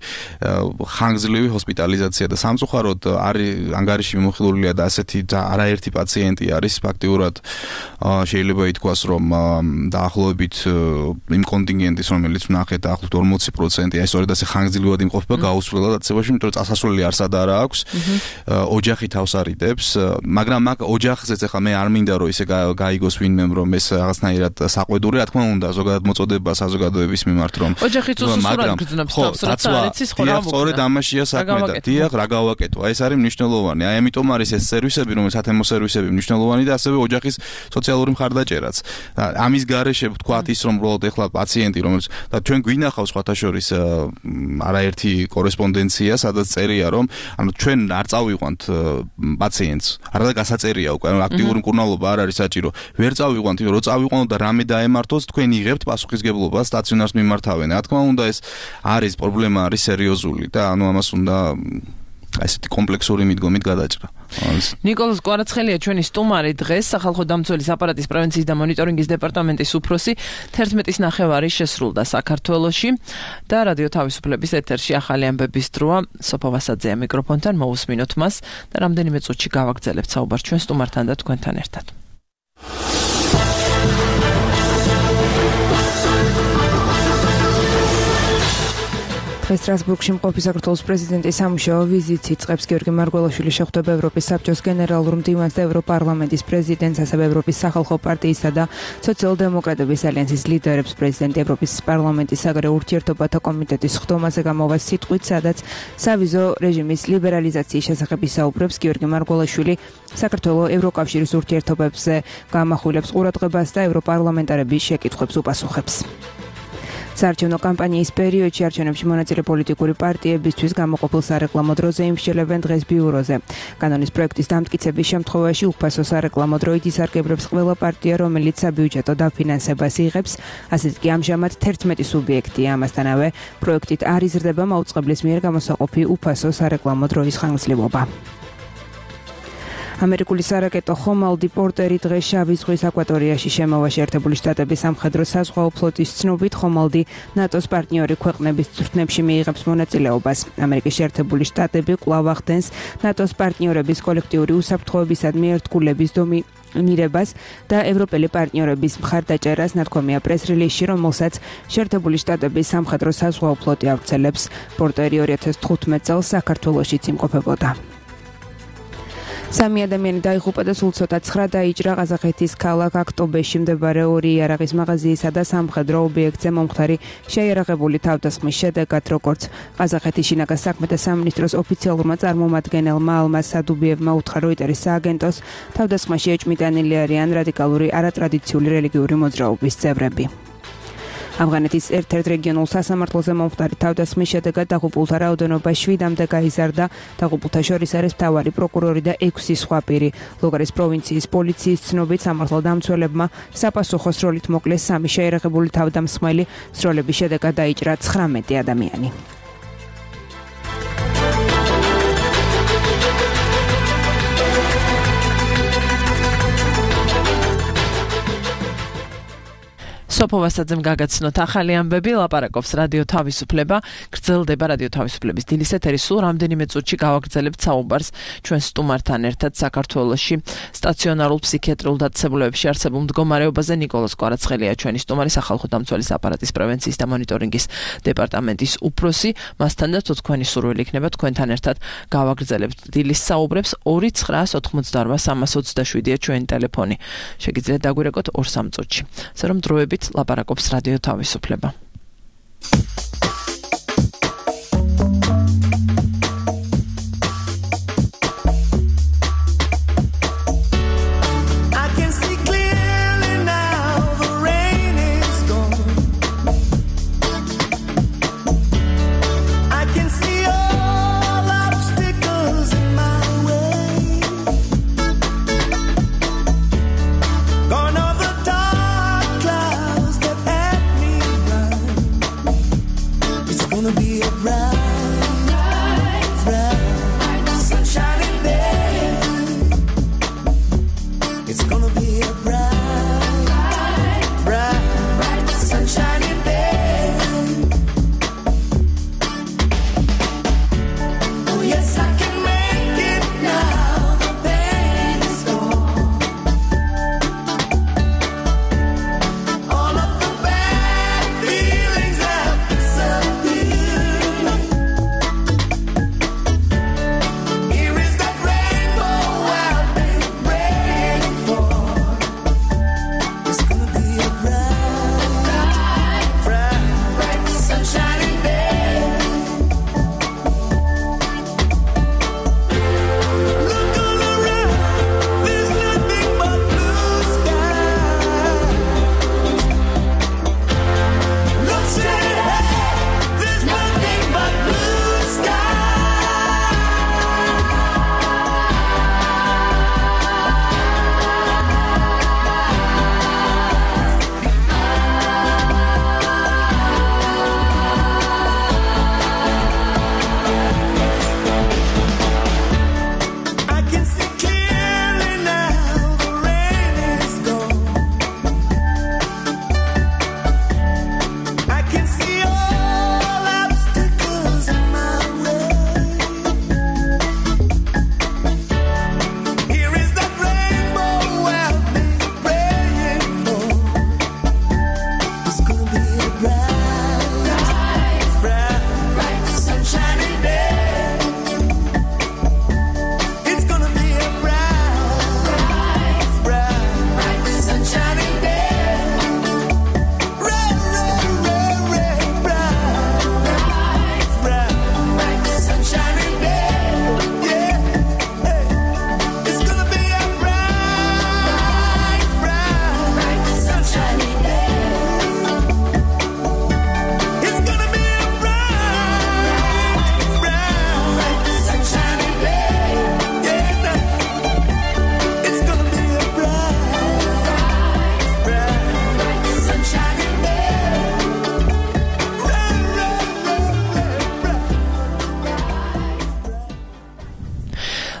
ხანგრძლივი ჰოსპიტალიზაცია და სამწუხაროდ არის ანგარიში მიმოხილულია და ასეთი არაერთი პაციენტი არის ფაქტიურად შეიძლება ითქვას რომ რომ დაახლოებით იმ კონტინგენტის რომელიც ვნახეთ დაახლოებით ორმოცი პროცენტი აი სწორედ ასე ხანგრძლივად იმყოფება გაუსვლელად დაწესებაში, იმიტომ რომ წასასვლელი არც არა აქვს. ოჯახი თავს არიდებს, მაგრამ მაგ ოჯახზეც ახლა მე არ მინდა რომ ისე გაიგოს ვინმემ რომ ეს რაღაცნაირად საყვედური, რა თქმა უნდა, ზოგადად მოწოდება საზოგადოების მიმართ რომ ოჯახიც უსურვად გრძნობს თავს, რაც არ იცის ხო რა მოხდა. სწორედ ამაშია საქმე და დიახ, რა გავაკეთო. აი ეს არის მნიშვნელოვანი. აი ამიტომ არის ეს სერვისები, რომელიც სათემო სერვისები მნიშვნელოვანი და ასევე ოჯახის სოციალური მხარდაჭერაც. ამის გარეშე ვთქვათ ის რომ უბრალოდ ეხლა პაციენტი რომელიც და ჩვენ გვინახავს სხვათა შორის არაერთი კორესპონდენცია, სადაც წერია რომ ანუ ჩვენ არ წავიყვანთ პაციენტს, არა და გასაწერია უკვე, ანუ აქტიური მკურნალობა არ არის საჭირო. ვერ წავიყვანთ, რომ წავიყვანოთ და რამე დაემართოს, თქვენ იღებთ პასუხისგებლობას, სტაციონარს მიმართავენ. რა თქმა უნდა ეს არის პრობლემა, არის სერიოზული და ანუ ამას უნდა ასეთი კომპლექსური მიდგომით გადაჭრა. ნიკოლოზ კვარაცხელია ჩვენი სტუმარი დღეს, სახალხო დამცველის აპარატის პრევენციის და მონიტორინგის დეპარტამენტის უფროსი. თერთმეტის ნახევარი შესრულდა საქართველოში და რადიო თავისუფლების ეთერში ახალი ამბების დროა. სოფო ვასაძეა მიკროფონთან, მოусმინოთ მას და რამდენიმე წუთში გავაგრძელებთ საუბარს ჩვენ სტუმართან და თქვენთან ერთად. დღეს სტრასბურგში მყოფი საქართველოს პრეზიდენტის სამუშაო ვიზიტს იწყებს. გიორგი მარგველაშვილი შეხვდება ევროპის საბჭოს გენერალურ მდივანს და ევროპარლამენტის პრეზიდენტს, ასევე ევროპის სახალხო პარტიისა და სოციალ-დემოკრატების ალიანსის ლიდერებს. პრეზიდენტი ევროპის პარლამენტის საგარეო ურთიერთობათა კომიტეტის ხდომაზე გამოვა სიტყვით, სადაც სავიზო რეჟიმის ლიბერალიზაციის შესახებ ისაუბრებს. გიორგი მარგველაშვილი საქართველოს ევროკავშირის ურთიერთობებზე გამახვილებს ყურადღებას და ევროპარლამენტარების შეკითხვებს უპასუხებს. საარჩევნო კამპანიის პერიოდში არჩევნებში მონაწილე პოლიტიკური პარტიებისთვის გამოყოფილ სარეკლამო დროზე იმსჯელებენ დღეს ბიუროზე. კანონის პროექტის დამტკიცების შემთხვევაში უფასო სარეკლამო დროით ისარგებლებს ყველა პარტია, რომელიც საბიუჯეტო დაფინანსებას იღებს. ასეთ კი ამჟამად თერთმეტი სუბიექტია. ამასთანავე პროექტით არ იზრდება მაუწყებლის მიერ გამოსაყოფი უფასო სარეკლამო დროის ხანგრძლივობა. ამერიკული სარაკეტო ხომალდი პორტერი დღეს შავი ზღვის აკვატორიაში შემოვა. შეერთებული შტატების სამხედრო საზღვაო ფლოტის ცნობით ხომალდი ნატოს პარტნიორი ქვეყნების წვრთნებში მიიღებს მონაწილეობას. ამერიკის შეერთებული შტატები კვლავ ახდენს ნატოს პარტნიორების კოლექტიური უსაფრთხოებისადმი ერთგულების დომინირებას და ევროპელი პარტნიორების მხარდაჭერას. ნათქვამია პრეს-რილიზში, რომელსაც შეერთებული შტატების სამხედრო საზღვაო ფლოტი ავრცელებს. პორტერი ორი ათას თხუთმეტ წელს საქართველოშიც იმყოფებოდა. სამი ადამიანი დაიღუპა და სულ ცოტა ცხრა დაიჭრა ყაზახეთის ქალაქ აქტობეში მდებარე ორი იარაღის მაღაზიისა და სამხედრო ობიექტზე მომხდარი შეიარაღებული თავდასხმის შედეგად, როგორც ყაზახეთის შინაგან საქმეთა სამინისტროს ოფიციალურმა წარმომადგენელმა ალმაზ სადუბიევმა უთხრა როიტერის სააგენტოს, თავდასხმაში ეჭმიტანილი არიან რადიკალური არატრადიციული რელიგიური მოძრაობის წევრები. ავღანეთის ერთ-ერთ რეგიონულ სასამართლოზე მომხდარი თავდასხმის შედეგად დაღუპულთა რაოდენობა შვიდამდე გაიზარდა. დაღუპულთა შორის არის მთავარი პროკურორი და ექვსი სხვა პირი. ლოგარის პროვინციის პოლიციის ცნობით სამართალ დამცველებმა საპასუხო სროლით მოკლეს სამი შეიარაღებული თავდამსხმელი. სროლების შედეგად დაიჭრა ცხრამეტი ადამიანი. სოფო ვასაძემ გაგაცნოთ ახალი ამბები, ლაპარაკობს რადიო თავისუფლება, გრძელდება რადიო თავისუფლების დილის ეთერი. სულ რამდენიმე წუთში გავაგრძელებთ საუბარს ჩვენ სტუმართან ერთად საქართველოში სტაციონარულ ფსიქიატრიულ დაწესებულებებში არსებულ მდგომარეობაზე. ნიკოლოზ კვარაცხელია ჩვენი სტუმარი, სახალხო დამცველის აპარატის პრევენციის და მონიტორინგის დეპარტამენტის უფროსი. მასთან და თქვენი სურვილი იქნება თქვენთან ერთად გავაგრძელებთ დილის საუბრებს. ორი ცხრა ოთხმოცდაორვა სამას ოცდაშვიდია ჩვენი ტელეფონი. შეგიძლიათ დაგვირეკოთ ორ სამ წუთში. ასე რომ დროებით ლაპარაკობს რადიო თავისუფლება.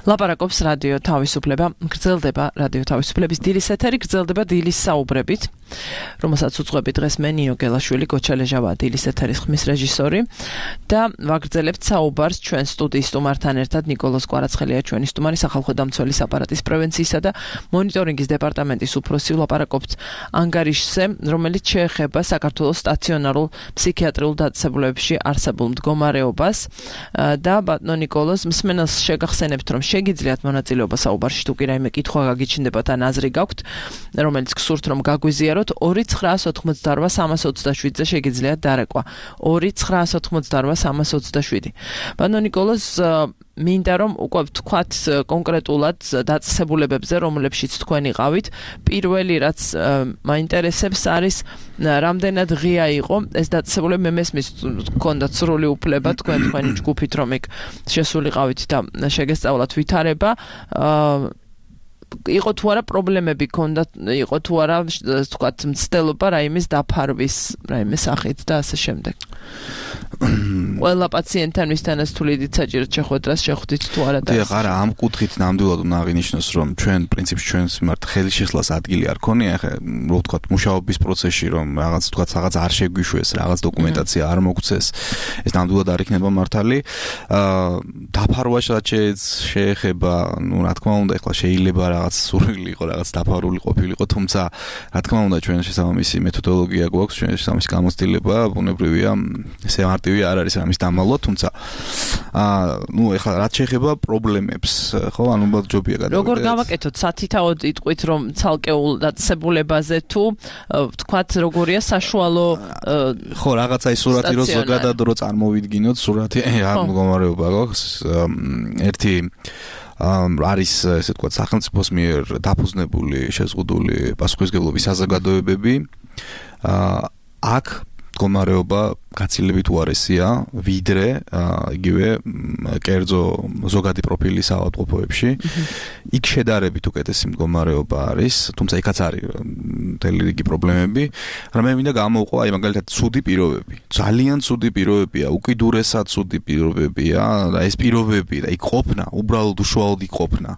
ლაპარაკობს რადიო თავისუფლება, გრძელდება რადიო თავისუფლების დილის ეთერი, გრძელდება დილის საუბრებით, რომელსაც უძღვები დღეს მე ნიო გელაშვილი, გოჩალეჟავა დილის ეთერის ხმის რეჟისორი და ვაგრძელებთ საუბარს ჩვენ სტუდიის სტუმართან ერთად. ნიკოლოზ კვარაცხელია ჩვენი სტუმარი, სახალხო დამცველის აპარატის პრევენციისა და მონიტორინგის დეპარტამენტის უფროსი. ვლაპარაკობთ ანგარიშზე, რომელიც შეეხება საქართველოს სტაციონარულ ფსიქიატრიულ დაწესებულებებში არსებულ მდგომარეობას და ბატონო ნიკოლოზ, მსმენელს შეგახსენებთ, რომ შეგიძლიათ მონაწილეობა საუბარში, თუ კი რაიმე კითხვა გაგიჩნდებათ ან აზრი გაქვთ, რომელიც გსურთ რომ გაგვიზიაროთ, ორი ცხრაას ოთხმოცდაორვა სამას ოცდაშვიდზე შეგიძლიათ დარეკვა. ორი ცხრაას ოთხმოცდაორვა სამას ოცდაშვიდი. ბატონო ნიკოლოზ, მინდა რომ უკვე ვთქვათ კონკრეტულად დაწესებულებებზე, რომლებშიც თქვენ იყავით. პირველი რაც მაინტერესებს არის რამდენად ღია იყო ეს დაწესებულება. მე მესმის გქონდათ სრული უფლება თქვენ თქვენი ჯგუფით რომ იქ შესულიყავით და შეგესწავლათ ვითარება. იყო თუ არა პრობლემები ქონდათ, იყო თუ არა ვთქვათ მცდელობა რაიმეს დაფარვის, რაიმე სახით და ასე შემდეგ. ყველა პაციენტთან ვისთანაც თუ ლიდით საჭიროდ შეხვედრას შეხვდით თუ არა და დიახ, არა, ამ კუთხით ნამდვილად უნდა აღინიშნოს, რომ ჩვენ პრინციპში ჩვენს მიმართ ხელშესლას ადგილი არ ქონია, ახლა რო ვთქვათ მუშაობის პროცესში რომ რაღაც ვთქვათ რაღაც არ შეგვიშვეს, რაღაც დოკუმენტაცია არ მოგცეს, ეს ნამდვილად არ იქნება მართალი. აა დაფარვაშად შეეხება, ну, რა თქმა უნდა, ახლა შეიძლება რაღაც სურვილი იყო, რაღაც დაფარული ყოფილიყო, თუმცა რა თქმა უნდა ჩვენ შესაბამისი მეთოდოლოგია გვაქვს, ჩვენ შესაბამისი გამოცდილება, ბუნებრივია, ესე მარტივი არ არის ამის დამალვა, თუმცა აა ну, ახლა რაც შეეხება პრობლემებს, ხო, ანუ უბრალოდ ჯობია გადავიდეთ. როგორ გავაკეთოთ სათითაოდ იტყვით რომ ცალკეულ დაწესებულებაზე თუ ვთქვათ როგორია საშუალო ხო, რაღაცა ის სურათი რო ზოგადად რო წარმოვიდგინოთ, სურათი არ მდგომარეობა გვაქვს. ერთი არის ესე ვთქვათ სახელმწიფოს მიერ დაფუძნებული შეზღუდული პასუხისმგებლობის საზოგადოებები. აქ მდგომარეობა გაცილებით უარესია, ვიდრე იგივე კერძო ზოგადი პროფილის ავადმყოფოებში. იქ შედარებით უკეთესი მდგომარეობა არის, თუმცა იქაც არის მთელი რიგი პრობლემები. მაგრამ მე მინდა გამოვყვა აი მაგალითად ცუდი პირობები. ძალიან ცუდი პირობებია, უკიდურესად ცუდი პირობებია და ეს პირობები და იქ ყოფნა, უბრალოდ უშუალოდ იქ ყოფნა.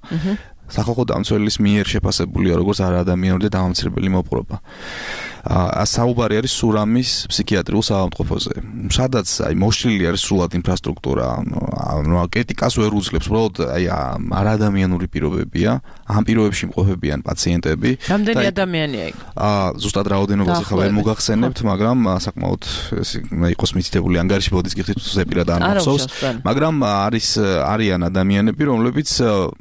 სახალხო დამცველის მიერ შეფასებულია როგორც არაადამიანური და დამამცირებელი მოპყრობა. აა საუბარი არის სურამის ფსიქიატრიულ საავადმყოფოზე. სადაც აი მოშლილი არის სრულად ინფრასტრუქტურა, ანუ კრიტიკას ვერ უძლებს, უბრალოდ აი არაადამიანური პირობებია, ამ პირობებში იმყოფებიან პაციენტები. რამდენი ადამიანია იქ? აა ზუსტად რაოდენობაზე ხა ვერ მოგახსენებთ, მაგრამ საკმაოდ იყოს მითითებული ანგარიში ბოდის გიხდით ზეპირად არ მახსოვს, მაგრამ არის არიან ადამიანები, რომლებიც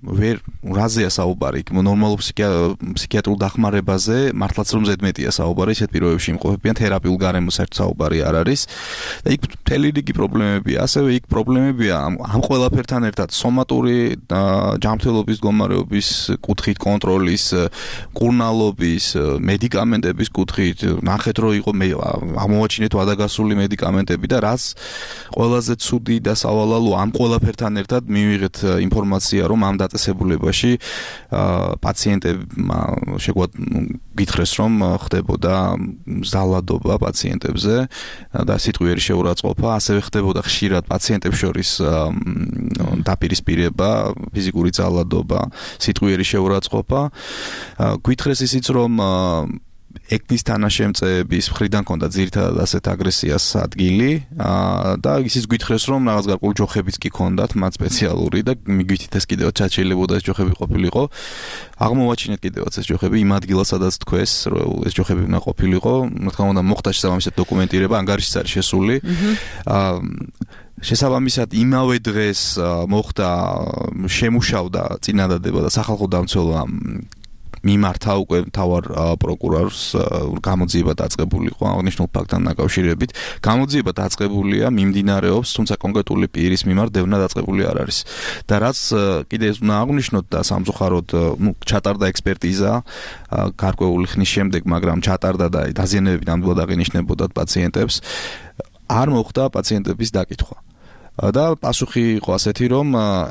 ვერ რაზეა საუბარი, ნორმალურ ფსიქიატრულ დახმარებაზე, მართლაც რომ ზედმეტია საუბარი, ისეთ პირობებში იმყოფებიან, თერაპიულ გარემოს ერთ საუბარი არ არის და იქ მთელი რიგი პრობლემებია. ასევე იქ პრობლემებია ამ ყველაფერთან ერთად სომატური ჯანმრთელობის მდგომარეობის კუთხით, კონტროლის, მკურნალობის, მედიკამენტების კუთხით, ნახეთ რომ იყო აღმოვაჩინეთ ვადაგასული მედიკამენტები და რაც ყველაზე ცუდი და სავალალო ამ ყველაფერთან ერთად მივიღეთ ინფორმაცია, რომ ამ დაწესებულებაში პაციენტებმა შეგვად გითხრეს რომ ხდებოდა ზალადობა პაციენტებზე და სიტყვიერი შეურაცხყოფა, ასევე ხდებოდა ხშირად პაციენტებს შორის დაპირისპირება, ფიზიკური ზალადობა, სიტყვიერი შეურაცხყოფა. გითხრეს ისიც რომ ეკნის თანაშემწეების მხრიდან ქონდა ძირითადად ასეთ აგრესიას ადგილი და ისიც გითხრეს რომ რაღაც გარკვეული ჯოხებიც კი ქონდათ მათ სპეციალური და მიგვითით ეს კიდევაც შეიძლებოდა ეს ჯოხები ყოფილიყო. აღმოვაჩინეთ კიდევაც ეს ჯოხები იმ ადგილას, სადაც თქვეს რომ ეს ჯოხები უნდა ყოფილიყო. რა თქმა უნდა მოხდა შესაბამისად დოკუმენტირება, ანგარიშიც არის შესული. შესაბამისად იმავე დღეს მოხდა შემუშავდა წინადადება და სახალხო დამცველმა მიმართა უკვე მთავარ პროკურორს გამოძიება დაწყებული იყო აღნიშნულ ფაქტთან დაკავშირებით. გამოძიება დაწყებულია, მიმდინარეობს, თუმცა კონკრეტული პირის მიმართ დევნა დაწყებული არ არის. და რაც კიდე უნდა აღნიშნოთ და სამწუხაროდ, ну, ჩატარდა ექსპერტიზა გარკვეული ხნის შემდეგ, მაგრამ ჩატარდა და დაზიანებები ნამდვილად აღინიშნებოდათ პაციენტებს. არ მოხდა პაციენტების დაკითხვა. და პასუხი იყო ასეთი, რომ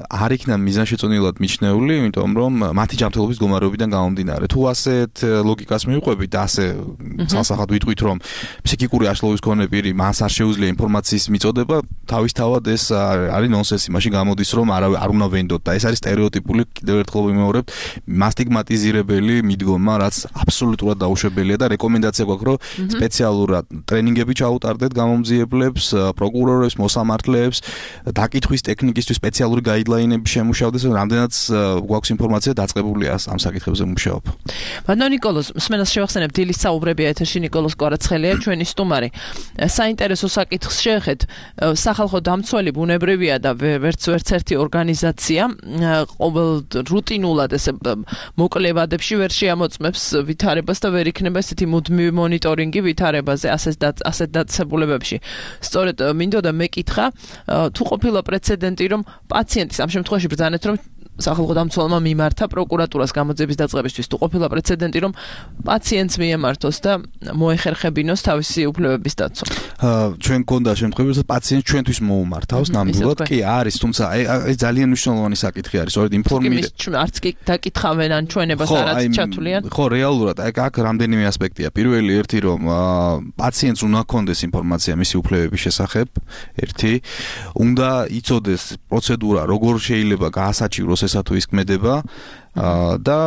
არ იქნა მიზანშეწონილად მიჩნეული, იმიტომ რომ მათი ჯანმრთელობის მდგომარეობიდან გამომდინარე. თუ ასეთ ლოგიკას მივყვებით და ასე ცალსახად ვიტყვით, რომ ფსიქიკური აშლობის მქონე პირი მას არ შეუძლია ინფორმაციის მიწოდება, თავისთავად ეს არის ნონსენსი, მაშინ გამოდის, რომ არ არ უნდა ვენდოთ და ეს არის სტერეოტიპული, კიდევ ერთხელ ვიმეორებთ, მასტიგმატიზირებელი მიდგომა, რაც აბსოლუტურად დაუშვებელია და რეკომენდაცია გვაქვს, რომ სპეციალურად ტრენინგები ჩაუტარდეთ გამომძიებლებს, პროკურორებს, მოსამართლეებს, დაკითხვის ტექნიკისთვის სპეციალური გაიდლაინები შემუშავდეს, რამდენად გვაქვს ინფორმაცია დაწყებულია ამ საკითხებზე მუშაობა. ბატონო ნიკოლოზ, მსმენელს შევახსენებ, დილის საუბრებია ეთერში ნიკოლოზ კვარაცხელია, ჩვენი სტუმარი. საინტერესო საკითხს შეეხეთ, სახალხო დამცველი ბუნებრივია და ვერც ვერც ერთი ორგანიზაცია ყოველ რუტინულად ესე მოკლებადებში ვერ შეამოწმებს ვითარებას და ვერ იქნება ესეთი მუდმივი მონიტორინგი ვითარებაზე ასეთ ასეთ დაწესებულებებში. სწორედ მინდოდა მეკითხა, თუ ყოფილა პრეცედენტი, რომ პაციენტის ამ შემთხვევაში ბრძანეთ, რომ სახალხო დამცველმა მიმართა პროკურატურას გამოძიების დაწყებისთვის, თუ ყოფილა პრეცედენტი, რომ პაციენტს მიემართოს და მოეხერხებინოს თავისი უფლებების დაცვა. ჩვენ გქონდა შემთხვევები, რომ პაციენტს ჩვენთვის მოუმართავს, ნამდვილად კი არის, თუმცა ეს ძალიან მნიშვნელოვანი საკითხი არის, სწორედ ინფორმირება. არც კი დაკითხავენ ან ჩვენებას არაც ჩათვლიან. ხო, რეალურად აქ აქ რამდენიმე ასპექტია. პირველი ერთი, რომ პაციენტს უნდა ჰქონდეს ინფორმაცია მისი უფლებების შესახებ, ერთი, უნდა იცოდეს პროცედურა, როგორ შეიძლება გაასაჩივროს ესა თუ ის ქმედება და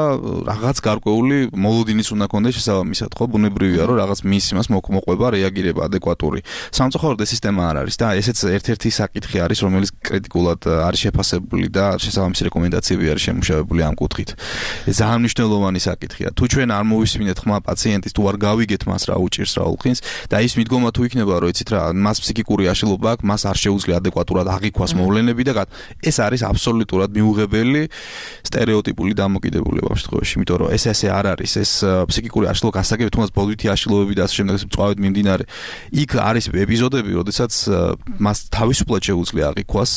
რაღაც გარკვეული მოლოდინიც უნდა ქონდეს შესაბამისად, ხო, ბუნებრივია, რომ რაღაც მის იმას მოყვება, რეაგირება ადეკვატური. სამწუხაროდ ეს სისტემა არ არის და ესეც ერთ-ერთი საკითხი არის, რომელიც კრიტიკულად არის შეფასებული და შესაბამისი რეკომენდაციები არის შემუშავებული ამ კუთხით. ეს ძალიან მნიშვნელოვანი საკითხია. თუ ჩვენ არ მოვისმინეთ ხმა პაციენტის, თუ არ გავიგეთ მას რა უჭირს, რა უხინს და ის მიდგომა თუ იქნება, რომ იცით რა, მას ფსიქიკური აშლილობა აქვს, მას არ შეუძლია ადეკვატურად აღიქვას მოვლენები და ეს არის აბსოლუტურად მიუღებელი სტერეოტიპული დამოკიდებულება ამ შემთხვევაში, იმიტომ რომ ეს ესე არ არის, ეს ფსიქიკური აშლილობა გასაგები, თუნდაც ბოლვითი აშლილობები და ასე შემდეგ მწვავედ მიმდინარე. იქ არის ეპიზოდები, როდესაც მას თავისუფლად შეუძლია აღიქვას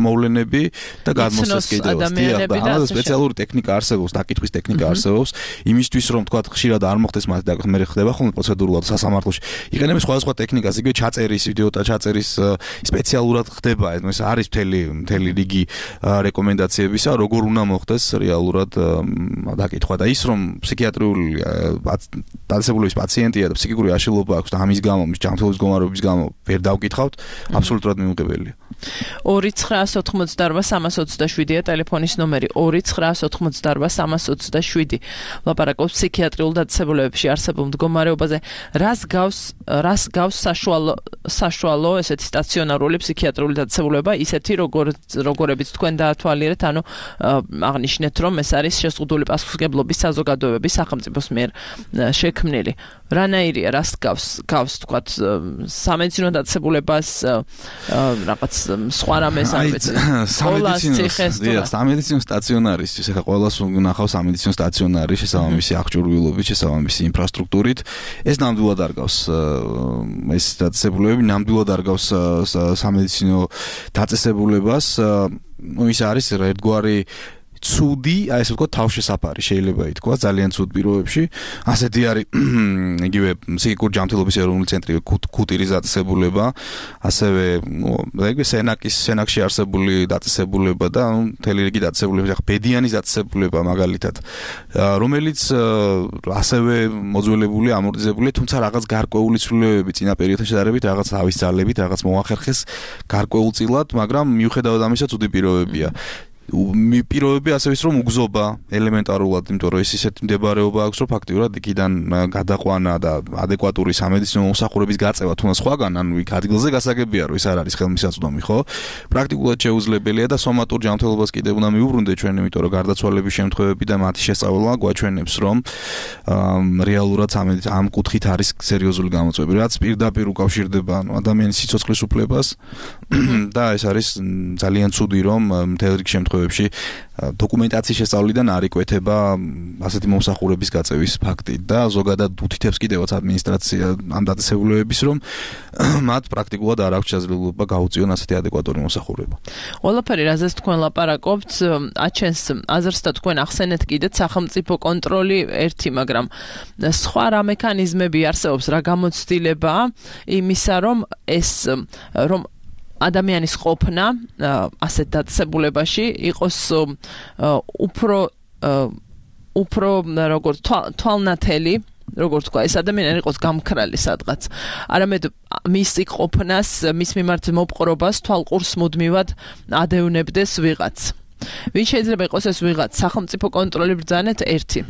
მოვლენები და გადმოსცეს კიდევაც. და ამაზე სპეციალური ტექნიკა არსებობს, დაკითხვის ტექნიკა არსებობს, იმისთვის რომ თქვა ხშირად არ მოხდეს მას და მე ხდება ხოლმე პროცედურულად სასამართლოში. იყენებენ სხვადასხვა ტექნიკას, იგივე ჩაწერის, ვიდეო და ჩაწერის სპეციალურად ხდება, ეს არის მთელი მთელი რიგი რეკომენდაციებისა, როგორ უნდა მოხდეს რეალურად დაკითხვა და ის რომ ფსიქიატრიული დაწესებულების პაციენტია და ფსიქიკური აშლილობა აქვს და ამის გამო, მის ჯანმრთელობის მდგომარეობის გამო ვერ დავკითხავთ, აბსოლუტურად მიუღებელია. ორი ცხრაას ოთხმოცდაარბა სამას ოცდაშვიდია ტელეფონის ნომერი ორი ცხრაას ოთხმოცდაარბა სამას ოცდაშვიდი. ლაპარაკობს ფსიქიატრიულ დაწესებულებებში არსებულ მდგომარეობაზე. რას გავს რას გავს საშუალო საშუალო ესეთი სტაციონარული ფსიქიატრიული დაწესებულება, ისეთი როგორ როგორებიც თქვენ დაათვალიერეთ, ანუ აღნიშნეთ, რომ ეს არის შეზღუდული პასუხისმგებლობის საზოგადოებები სახელმწიფოს მიერ შექმნილი. რანაირია, რას გავს გავს თქვათ სამედიცინო დაწესებულებას, რაღაც სხვა რამეს არ ვიცი. სამედიცინო სამედიცინო სტაციონარისთვის ახლა ყველას უნახავს სამედიცინო სტაციონარი შესაბამისი აღჭურვილობით, შესაბამისი ინფრასტრუქტურით. ეს ნამდვილად არ გავს ეს დაწესებულებები, ნამდვილად არ გავს სამედიცინო დაწესებულებას. ну ის არის ერთგვარი ცუდი, აი ესე ვთქვა, თავშესაფარი შეიძლება ითქვა ძალიან ცუდ პირობებში. ასეთი არის იგივე ფსიქიკური ჯანმრთელობის ეროვნული ცენტრი ქუტირის დაწესებულება, ასევე ეგრე სენაკის სენაკში არსებული დაწესებულება და მთელი რიგი დაწესებულებები, ახლა ბედიანის დაწესებულება მაგალითად, რომელიც ასევე მოძველებული, ამორტიზებულია, თუმცა რაღაც გარკვეული ცვლილებები წინა პერიოდთან შედარებით, რაღაც თავის ძალებით, რაღაც მოახერხეს გარკვეულწილად, მაგრამ მიუხედავად ამისა ცუდი პირობებია. პირობები ასე ვის რომ უგზობა ელემენტარულად, იმიტომ რომ ის ისეთ მდებარეობა აქვს, რომ ფაქტიურად იქიდან გადაყვანა და ადეკვატური სამედიცინო მოსახურების გაწევა თუნდაც სხვაგან, ანუ იქ ადგილზე გასაგებია, რომ ის არ არის ხელმისაწვდომი, ხო? პრაქტიკულად შეუძლებელია და სომატურ ჯანმრთელობას კიდევ უნდა მიუბრუნდეთ ჩვენ, იმიტომ რომ გარდაცვალების შემთხვევები და მათი შესწავლა გვაჩვენებს, რომ რეალურად ამ კუთხით არის სერიოზული გამოწვევები, რაც პირდაპირ უკავშირდება ადამიანის სიცოცხლის უფლებას და ეს არის ძალიან ცუდი, რომ მთელ რიგ შემთხვევებში დოკუმენტაციის შესწავლიდან არ იკვეთება ასეთი მომსახურების გაწევის ფაქტი და ზოგადად უთითებს კიდევაც ადმინისტრაცია ამ დაწესებულებების, რომ მათ პრაქტიკულად არ აქვს შესაძლებლობა გაუწიონ ასეთი ადეკვატური მომსახურება. ყველაფერი, რაზეც თქვენ ლაპარაკობთ, აჩენს აზრს და თქვენ ახსენეთ კიდეც სახელმწიფო კონტროლი ერთი, მაგრამ სხვა რა მექანიზმები არსებობს, რა გამოცდილებაა იმისა, რომ ეს რომ ადამიანის ყოფნა ასეთ დაწესებულებაში იყოს უფრო უფრო როგორც თვალნათელი, როგორც თქვა, ეს ადამიანი იყოს გამქრალი სადღაც. არამედ მისი ყოფნას, მის მიმართ მოპყრობას თვალყურს მუდმივად ადევნებდეს ვიღაც. ვინ შეიძლება იყოს ეს ვიღაც? სახელმწიფო კონტროლი ბრძანეთ ერთი.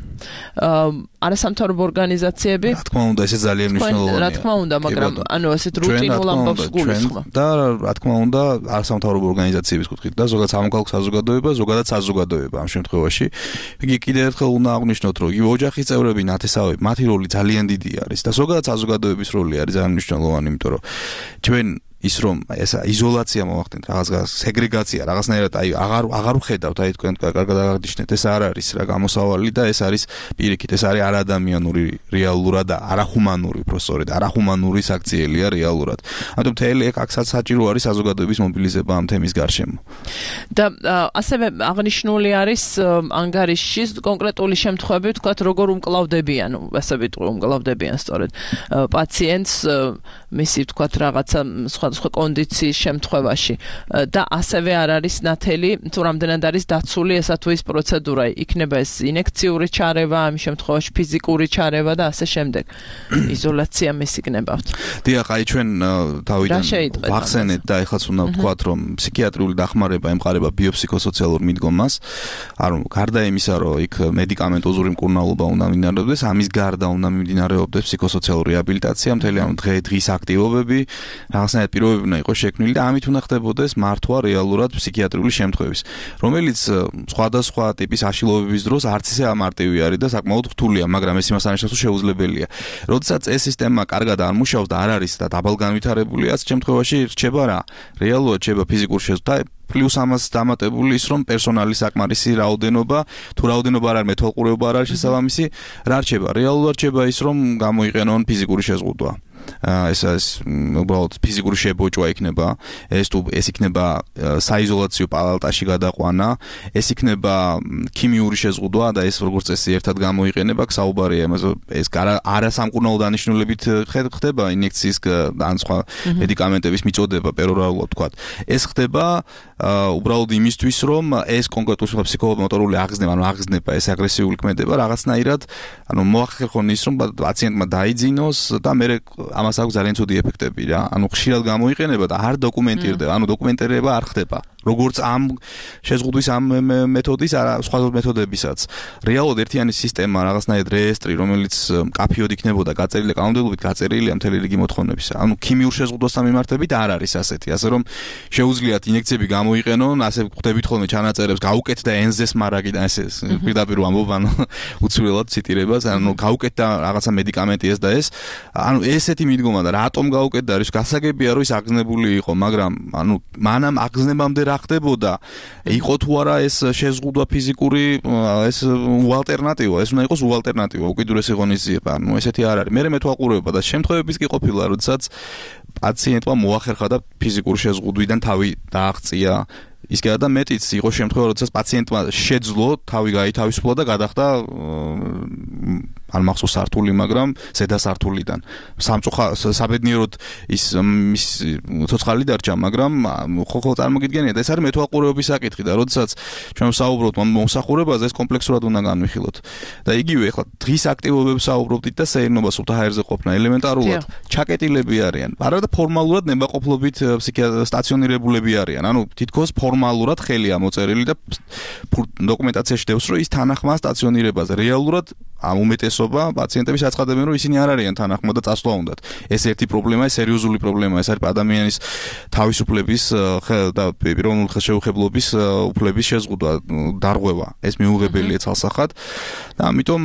არასამთავრობო ორგანიზაციები. რა თქმა უნდა, ეს ძალიან მნიშვნელოვანია. რა თქმა უნდა, მაგრამ ანუ ასეთ რუტინულ ამბავს გულისხმობ. და რა თქმა უნდა, არასამთავრობო ორგანიზაციების კუთხით და ზოგადად სამოქალაქო საზოგადოება, ზოგადად საზოგადოება ამ შემთხვევაში. იგი კიდევ ერთხელ უნდა აღვნიშნოთ, რომ იგივე ოჯახის წევრები, ნათესავები, მათი როლი ძალიან დიდი არის და ზოგადად საზოგადოების როლი არის ძალიან მნიშვნელოვანი, იმიტომ რომ ჩვენ ის რომ ეს იზოლაცია მოახდინეთ, რაღაც სეგრეგაცია, რაღაცნაირად აი აღარ აღარ ვხედავთ, აი თქვენ კარგად აღნიშნეთ, ეს არ არის რა გამოსავალი და ეს არის პირიქით, ეს არის არადამიანური რეალურად და არახუმანური, პროფესორით, არახუმანური საქციელია რეალურად. ამიტომ თელი აქ საჭირო არის საზოგადოების მობილიზება ამ თემის გარშემო. და ასევე აღნიშნული არის ანგარიშში კონკრეტული შემთხვევები, თქვათ, როგორ უმკლავდებიან, ასე ვიტყვი, უმკლავდებიან სწორედ პაციენტს მისი თქვათ რაღაცა სხვა სხვა კონდიციის შემთხვევაში და ასევე არ არის ნათელი თუ რამდენად არის დაცული ესა თუ ის პროცედურა იქნება ეს ინექციური ჩარევა ამ შემთხვევაში ფიზიკური ჩარევა და ასე შემდეგ იზოლაცია მის იქნებავთ. დიახ, აი ჩვენ თავიდან ვახსენეთ და ეხლაც უნდა ვთქვათ რომ ფსიქიატრიული დახმარება ემყარება ბიოფსიქოსოციალურ მიდგომას, ანუ გარდა იმისა რომ იქ მედიკამენტოზური მკურნალობა უნდა მიმდინარეობდეს, ამის გარდა უნდა მიმდინარეობდეს ფსიქოსოციალური რეაბილიტაცია, მთელი ამ დღის აქტივობები, რაღაცნაირად პირობები უნდა იყოს შექმნილი და ამით უნდა ხდებოდეს მართვა რეალურად ფსიქიატრიული შემთხვევის, რომელიც სხვადასხვა ტიპის აშლილობების დროს არც ისე ამარტივი არის და საკმაოდ რთულია, მაგრამ ეს იმას არნიშნავს, რომ შეუძლებელია. როდესაც ეს სისტემა კარგად არ მუშაობს და არ არის და დაბალგანვითარებული, ამ შემთხვევაში რჩება რა? რეალურად რჩება ფიზიკური შეზღუდვა. პლუს ამას დამატებული ის, რომ პერსონალის საკმარისი რაოდენობა, თუ რაოდენობა არ არის, მეთვალყურეობა არ არის შესაბამისი, რა რჩება? რეალურად რჩება ის, რომ გამოიყენონ ფიზიკური შეზღუდვა. ეს ეს უბრალოდ ფიზიკური შებოჭვა იქნება, ეს თუ ეს იქნება საიზოლაციო პალატაში გადაყვანა, ეს იქნება ქიმიური შეზღუდვა და ეს როგორც წესი ერთად გამოიყენება, საუბარია იმაზე, ეს არასამკურნალო დანიშნულებით ხდება ინექციის ან სხვა მედიკამენტების მიწოდება პერორალულად ვთქვათ. ეს ხდება უბრალოდ იმისთვის, რომ ეს კონკრეტული ფსიქომოტორული აღგზნება, ანუ აღგზნება, ეს აგრესიული ქმედება რაღაცნაირად, ანუ მოახერხონ ის, რომ პაციენტმა დაიძინოს და მე ამას აქვს ძალიან ცუდი ეფექტები რა. ანუ ხშირად გამოიყენება და არ დოკუმენტირდება, ანუ დოკუმენტირება არ ხდება. როგორც ამ შეზღუდვის ამ მეთოდის, არა სხვა მეთოდებისაც. რეალურად ერთიანი სისტემა, რაღაცნაირად რეესტრი, რომელიც მკაფიოდ იქნებოდა გაწერილი კანონმდებლობით, გაწერილია მთელი რიგი მოთხოვნებისა. ანუ ქიმიურ შეზღუდვასთან მიმართებით არ არის ასეთი, ასე რომ შეუძლიათ ინექციები გამოიყენონ, ასე ხვდებით ხოლმე ჩანაწერებს, გაუკეთდა ენზეს მარაგიდან ესე პირდაპირ ამბობ, ანუ უცვლელად ციტირებას, ანუ გაუკეთდა რაღაცა მედიკამენტი ეს და ეს. ანუ ესეთი მიდგომა და რატომ გაუკეთდა, ის გასაგებია, რომ ის აგზნებული იყო, მაგრამ ანუ მანამ აგზნებამდე ხდებოდა, იყო თუ არა ეს შეზღუდვა ფიზიკური, ეს უალტერნატივა, ეს უნდა იყოს უალტერნატივა, უკიდურესი ღონისძიება, ანუ ესეთი არ არის. მე მეთვალყურეობა და შემთხვევებიც კი ყოფილა, როდესაც პაციენტმა მოახერხა და ფიზიკური შეზღუდვიდან თავი დააღწია. ის კი არა მეტიც იყო შემთხვევა, როდესაც პაციენტმა შეძლო თავი გაითავისუფლა და გადახდა არ მახსოვს სართული, მაგრამ ზედა სართულიდან. სამწუხა საბედნიეროდ ის მის ცოცხალი დარჩა, მაგრამ ხო ხო წარმოგიდგენიათ, ეს არის მეთვალყურეობის საკითხი და როდესაც ჩვენ ვსაუბრობთ მომსახურებაზე, ეს კომპლექსურად უნდა განვიხილოთ. და იგივე ახლა დღის აქტივობებს საუბრობდით და სეირნობა სულთა ჰაერზე ყოფნა ელემენტარულად ჩაკეტილები არიან. არა და ფორმალურად ნებაყოფლობით სტაციონირებულები არიან. ანუ თითქოს ფორმალურად ხელია მოწერილი და დოკუმენტაციაში დევს, რომ ის თანახმა სტაციონირებაზე. რეალურად ამ უმეტესობა პაციენტების აცხადებენ, რომ ისინი არ არიან თანახმა და წასვლა უნდათ. ეს ერთი პრობლემაა, სერიოზული პრობლემაა, ეს არის ადამიანის თავისუფლების და პიროვნული ხელშეუხებლობის უფლების შეზღუდვა, დარღვევა. ეს მიუღებელია ცალსახად და ამიტომ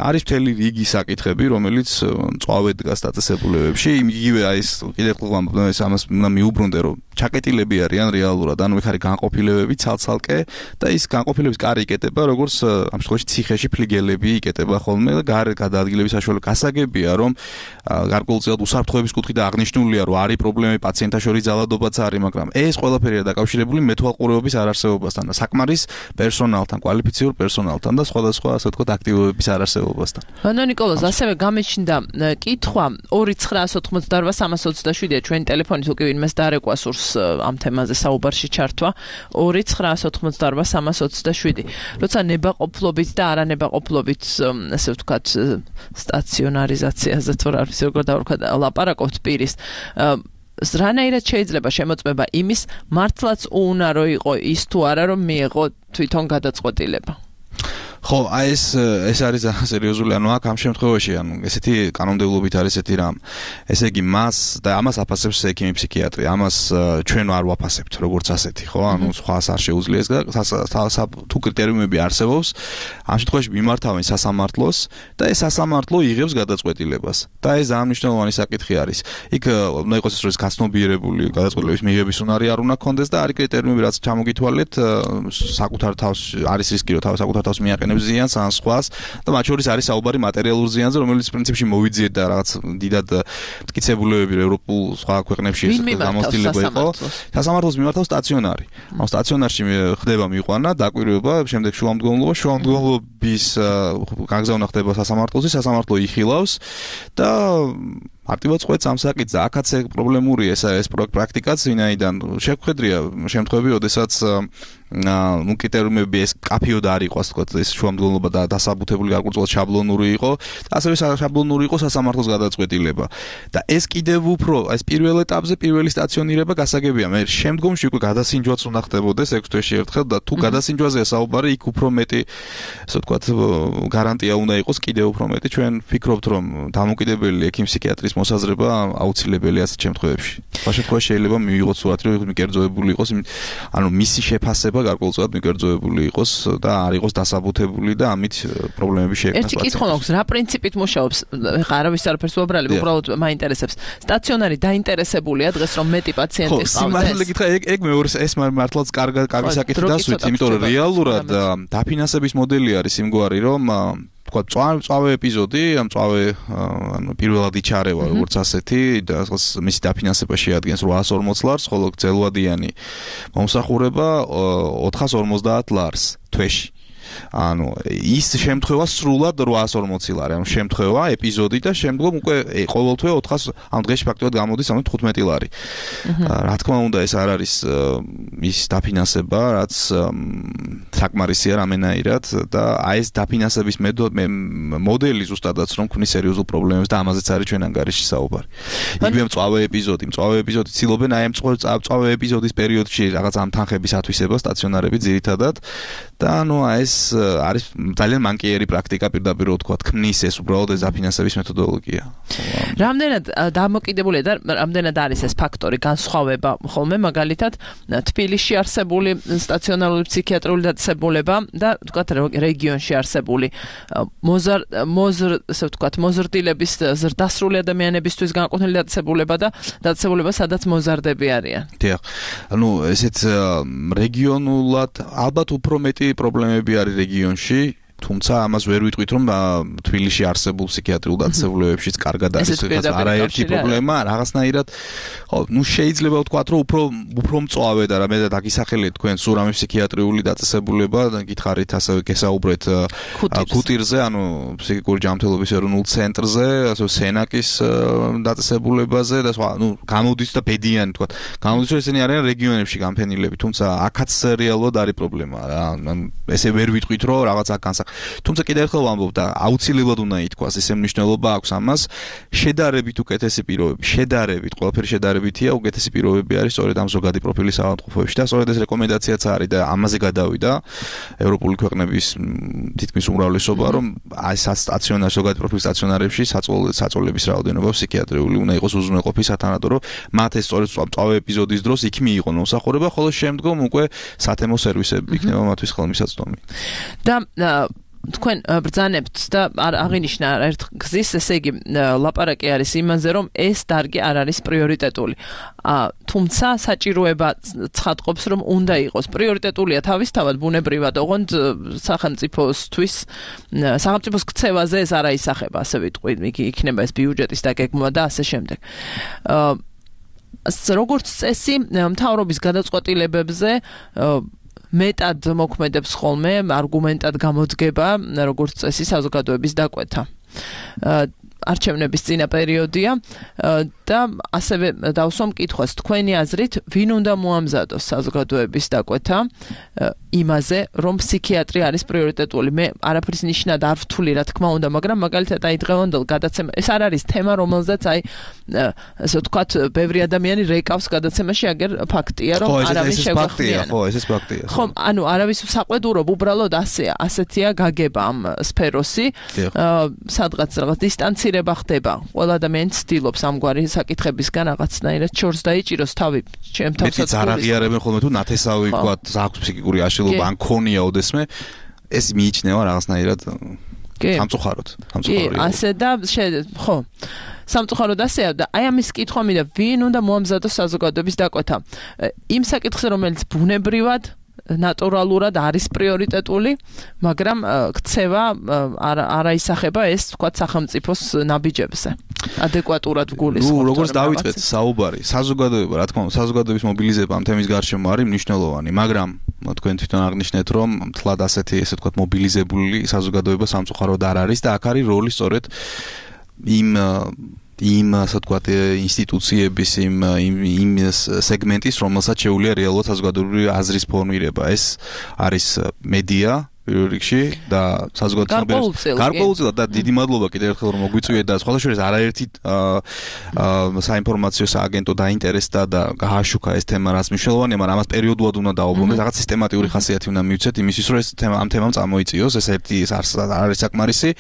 არის მთელი რიგი საკითხები, რომელიც მწვავედ დგას დაწესებულებებში. იგივე აი ეს კიდევ ხოლმე ეს ამას უნდა მიუბრუნდე, რომ ჩაკეტილები არიან რეალურად, ანუ იქ არის განყოფილებები ცალ-ცალკე და ის განყოფილების კარი იკეტება, როგორც ამ შემთხვევაში ციხეში ფლიგელები იკეტება ხდება ხოლმე და გარეთ გადაადგილების საშუალება გასაგებია, რომ გარკვეულწილად უსაფრთხოების კუთხით აღნიშნულია, რომ არის პრობლემები პაციენტთა შორის ძალადობაც არის, მაგრამ ეს ყველაფერია დაკავშირებული მეთვალყურეობის არარსებობასთან და საკმარის პერსონალთან, კვალიფიციურ პერსონალთან და სხვადასხვა ასე ვთქვათ აქტივობების არარსებობასთან. ბანო ნიკოლოზ, ასევე გამეჩნდა კითხვა ორი ცხრაას ოთხმოცდაორბა სამას ოცდაშვიდია ჩვენი ტელეფონით, უკვე ვინმეს დარეკვა სურს ამ თემაზე საუბარში ჩართვა. ორი ცხრაას ოთხმოცდაორბა სამას ოცდაშვიდი. როცა ნებაყოფლობით და არანებაყოფლობით ასე ვთქვათ სტაციონარიზაციაზე თუ რა ვიცი როგორ დავარქვათ ლაპარაკობთ პირის რანაირად შეიძლება შემოწმება იმის მართლაც უუნარო იყო ის თუ არა რომ მიეღო თვითონ გადაწყვეტილება. ხო, აი ეს ეს არის სერიოზული, ანუ აქ ამ შემთხვევაში, ანუ ესეთი კანონმდებლობით არის ესეთი რამ. ესე იგი, მას და ამას აფასებს ექიმი ფსიქიატრი. ამას ჩვენ არ ვაფასებთ, როგორც ასეთი, ხო? ანუ სხვას არ შეუძლია ეს და თუ კრიტერიუმები არსებობს, ამ შემთხვევაში მიმართავენ სასამართლოს და ეს სასამართლო იღებს გადაწყვეტილებას. და ეს ამნიშნულოვანი საკითხი არის. იქ უნდა იყოს ეს რომ გაცნობიერებული გადაწყვეტილების მიღების უნარი არ უნდა ქონდეს და არის კრიტერიუმები, რაც ჩამოგითვალეთ, საკუთარ თავს არის რისკი, რომ საკუთარ თავს მიაყენებს ზიანს ან სხვას და მათ შორის არის საუბარი მატერიალურ ზიანზე, რომელიც პრინციპში მოვიძიეთ და რაღაც დიდად მტკიცებულებები ევროპულ სხვა ქვეყნებში გამოცდილება იყო. სასამართლოს მიმართავს სტაციონარი. ამ სტაციონარში ხდება მიყვანა, დაკვირვება, შემდეგ შუამდგომლობა, შუამდგომლობის გაგზავნა ხდება სასამართლოზე, სასამართლო იხილავს და მარტივად ყვეთს ამ საკითხს და აქაც პრობლემურია ეს ეს პრაქტიკაც, ვინაიდან შეგვხედრია შემთხვევები, როდესაც ნუ კრიტერიუმები ეს კაფიოდ არ იყო, ასე ვთქვათ, ეს შუამდგომლობა და დასაბუთებული გარკვეულწილად შაბლონური იყო და ასევე შაბლონური იყო სასამართლოს გადაწყვეტილება. და ეს კიდევ უფრო, ეს პირველ ეტაპზე პირველი სტაციონირება გასაგებია. მე შემდგომში უკვე გადასინჯვაც უნდა ხდებოდეს ექვს თვეში ერთხელ და თუ გადასინჯვაზეა საუბარი, იქ უფრო მეტი, ასე ვთქვათ, გარანტია უნდა იყოს, კიდევ უფრო მეტი. ჩვენ ვფიქრობთ, რომ დამოუკიდებელი ექიმ-ფსიქიატრის მოსაზრება აუცილებელია ასეთ შემთხვევებში. სხვა შემთხვევაში შეიძლება მივიღოთ სურათი, რომ მიკერძოებული იყოს, ანუ მისი შეფასება გარკვეულწილად მიკერძოებული იყოს და არ იყოს დასაბუთებული და ამით პრობლემები შეექმნას. ერთი კითხვა მაქვს, რა პრინციპით მუშაობს? ხა არავის არაფერს უაბრალებ, უბრალოდ მაინტერესებს. სტაციონარი დაინტერესებულია დღეს რომ მეტი პაციენტი ყავდეს. ხო, სიმართლე გითხრა, ეგ ეგ მეორე ეს მართლაც კარგი კარგი საკითხი დასვით, იმიტომ რომ რეალურად დაფინანსების მოდელი არის იმგვარი, რომ თქვა წავე ეპიზოდი, ამ წავე ანუ პირველად იჩარევა როგორც ასეთი და მისი დაფინანსება შეადგენს რვაას ორმოც ლარს, ხოლო გრძელვადიანი მომსახურება ოთხას ორმოცდაათ ლარს თვეში. ანუ ის შემთხვევა სრულად რვაას ორმოცი ლარი, ანუ შემთხვევა, ეპიზოდი და შემდგომ უკვე ყოველთვე ოთხას, ანუ დღეში ფაქტობრივად გამოდის ანუ თხუთმეტი ლარი. რა თქმა უნდა, ეს არ არის ის დაფინანსება, რაც საკმარისია რამენაირად და აი ეს დაფინანსების მოდელი ზუსტადაც რომ ქმნის სერიოზულ პრობლემებს და ამაზეც არის ჩვენ ანგარიში საუბარი. იგივე მწვავე ეპიზოდი, მწვავე ეპიზოდი ცდილობენ აი ამ მწვავე ეპიზოდის პერიოდში რაღაც ამ თანხების ათვისება სტაციონარები ძირითადად და ანუ აი ეს არის ძალიან მანკიერი პრაქტიკა, პირდაპირ ვთქვათ, ქმნის ეს უბრალოდ ეს დაფინანსების მეთოდოლოგია. რამდენად დამოკიდებულია და რამდენად არის ეს ფაქტორი განსხვავება ხოლმე მაგალითად თბილისში არსებული სტაციონარული ფსიქიატრიული დაწესებულება და ვთქვათ რეგიონში არსებული მოზარ მოზრ ასე ვთქვათ მოზრდილების ზრდასრული ადამიანებისთვის განკუთვნილი დაწესებულება და დაწესებულება სადაც მოზარდები არიან. დიახ. ანუ ესეც რეგიონულად ალბათ უფრო მეტი პრობლემები არის რეგიონში, თუმცა ამას ვერ ვიტყვით, რომ თბილისში არსებულ ფსიქიატრიულ დაწესებულებებშიც კარგად არის არაერთი პრობლემა, რაღაცნაირად, ხო, ნუ შეიძლება ვთქვათ, რომ უფრო უფრო მწვავე და რამე და დაგისახელეთ თქვენ სულ რამე ფსიქიატრიული დაწესებულება, გითხარით ასევე გესაუბრეთ ქუტირზე, ანუ ფსიქიკური ჯანმრთელობის ეროვნულ ცენტრზე, ასე სენაკის დაწესებულებაზე და სხვა, ნუ გამოდის და ბედიანი ვთქვათ. გამოდის, რომ ესენი არიან რეგიონებში განფენილები, თუმცა აქაც რეალურად არის პრობლემა რა. ესე ვერ ვიტყვით, რომ რაღაც აქ განსახ თუმცა კიდევ ერთხელ ვამბობ და აუცილებლად უნდა ითქვას, ესე მნიშვნელობა აქვს ამას, შედარებით უკეთესი პირობები, შედარებით, ყველაფერი შედარებითია, უკეთესი პირობები არის სწორედ ამ ზოგადი პროფილის ავადმყოფოებში და სწორედ ეს რეკომენდაციაც არის და ამაზე გადავიდა ევროპული ქვეყნების თითქმის უმრავლესობა, რომ აი სტაციონარ ზოგადი პროფილის სტაციონარებში საწოლების რაოდენობა ფსიქიატრიული უნდა იყოს უზრუნველყოფის სათანადო, რომ მათ ეს სწორედ წავე ეპიზოდის დროს იქ მიიღონ მომსახურება, ხოლო შემდგომ უკვე სათემო სერვისები იქნება მათთვის ხელმისაწვდომი. და თქვენ ბრძანებთ და აღინიშნა ერთ გზის, ესე იგი ლაპარაკი არის იმაზე, რომ ეს დარგი არ არის პრიორიტეტული. თუმცა საჭიროება ცხადყოფს, რომ უნდა იყოს პრიორიტეტულია თავისთავად ბუნებრივად, ოღონდ სახელმწიფოსთვის სახელმწიფოს ქცევაზე ეს არ აისახება, ასე ვიტყვი, იქნება ეს ბიუჯეტის დაგეგმვა და ასე შემდეგ. როგორც წესი, მთავრობის გადაწყვეტილებებზე მეტად მოქმედებს ხოლმე არგუმენტად გამოდგება, როგორც წესი საზოგადოების დაკვეთა. არჩევნების წინა პერიოდია და ასევე დავსვამ კითხვას, თქვენი აზრით, ვინ უნდა მოამზადოს საზოგადოების დაკვეთა იმაზე, რომ ფსიქიატრი არის პრიორიტეტული. მე არაფრის ნიშნად არ ვთვლი, რა თქმა უნდა, მაგრამ მაგალითად აი დღევანდელ გადაცემა, ეს არ არის თემა, რომელზეც აი ასე ვთქვათ, ბევრი ადამიანი რეკავს გადაცემაში, აგერ ფაქტია, რომ არავის შეგვახმიანა. ხო, ეს ეს ფაქტია. ხო, ანუ არავის საყვედურობ, უბრალოდ ასეა, ასეთია გაგება ამ სფეროსი, სადღაც რაღაც დისტანცირება ხდება. ყველა ადამიანი ცდილობს ამგვარი საკითხებისგან რაღაცნაირად ჩორს დაიჭიროს თავი, ჩემ თავსაც. მეტიც არ აღიარებენ ხოლმე თუ ნათესავი ვთქვათ, აქვს ფსიქიკური აშლილობა ან ქონია ოდესმე, ეს მიიჩნევა რაღაცნაირად სამწუხაროდ, სამწუხაროდ. კი, ასე და ხო. სამწუხაროდ ასეა და აი ამის კითხვა მინდა, ვინ უნდა მოამზადოს საზოგადოების დაკვეთა. იმ საკითხზე, რომელიც ბუნებრივად ნატურალურად არის პრიორიტეტული, მაგრამ ქცევა არ აისახება ეს, ვთქვათ, სახელმწიფოს ნაბიჯებზე. ადეკვატურად გულისხმობთ. ნუ როგორც დავიწყეთ საუბარი, საზოგადოება, რა თქმა უნდა, საზოგადოების მობილიზება ამ თემის გარშემო არის მნიშვნელოვანი, მაგრამ თქვენ თვითონ აღნიშნეთ, რომ თლად ასეთი, ესე ვთქვათ, მობილიზებული საზოგადოება სამწუხაროდ არ არის და აქ არის როლი სწორედ იმ იმ ასე ვთქვათ ინსტიტუციების იმ იმ სეგმენტის, რომელსაც შეუძლია რეალურად საზოგადოებრივი აზრის ფორმირება. ეს არის მედია პირველ რიგში და საზოგადოების გარკვეულწილად და დიდი მადლობა კიდევ ერთხელ რომ მოგვიწვიეთ და სხვათა შორის არაერთი საინფორმაციო სააგენტო დაინტერესდა და გააშუქა ეს თემა, რაც მნიშვნელოვანია, მაგრამ ამას პერიოდულად უნდა დაუბრუნდეთ, რაღაც სისტემატიური ხასიათი უნდა მივცეთ იმისთვის, რომ ეს თემა ამ თემამ წამოიწიოს, ეს ერთი არის საკმარისი.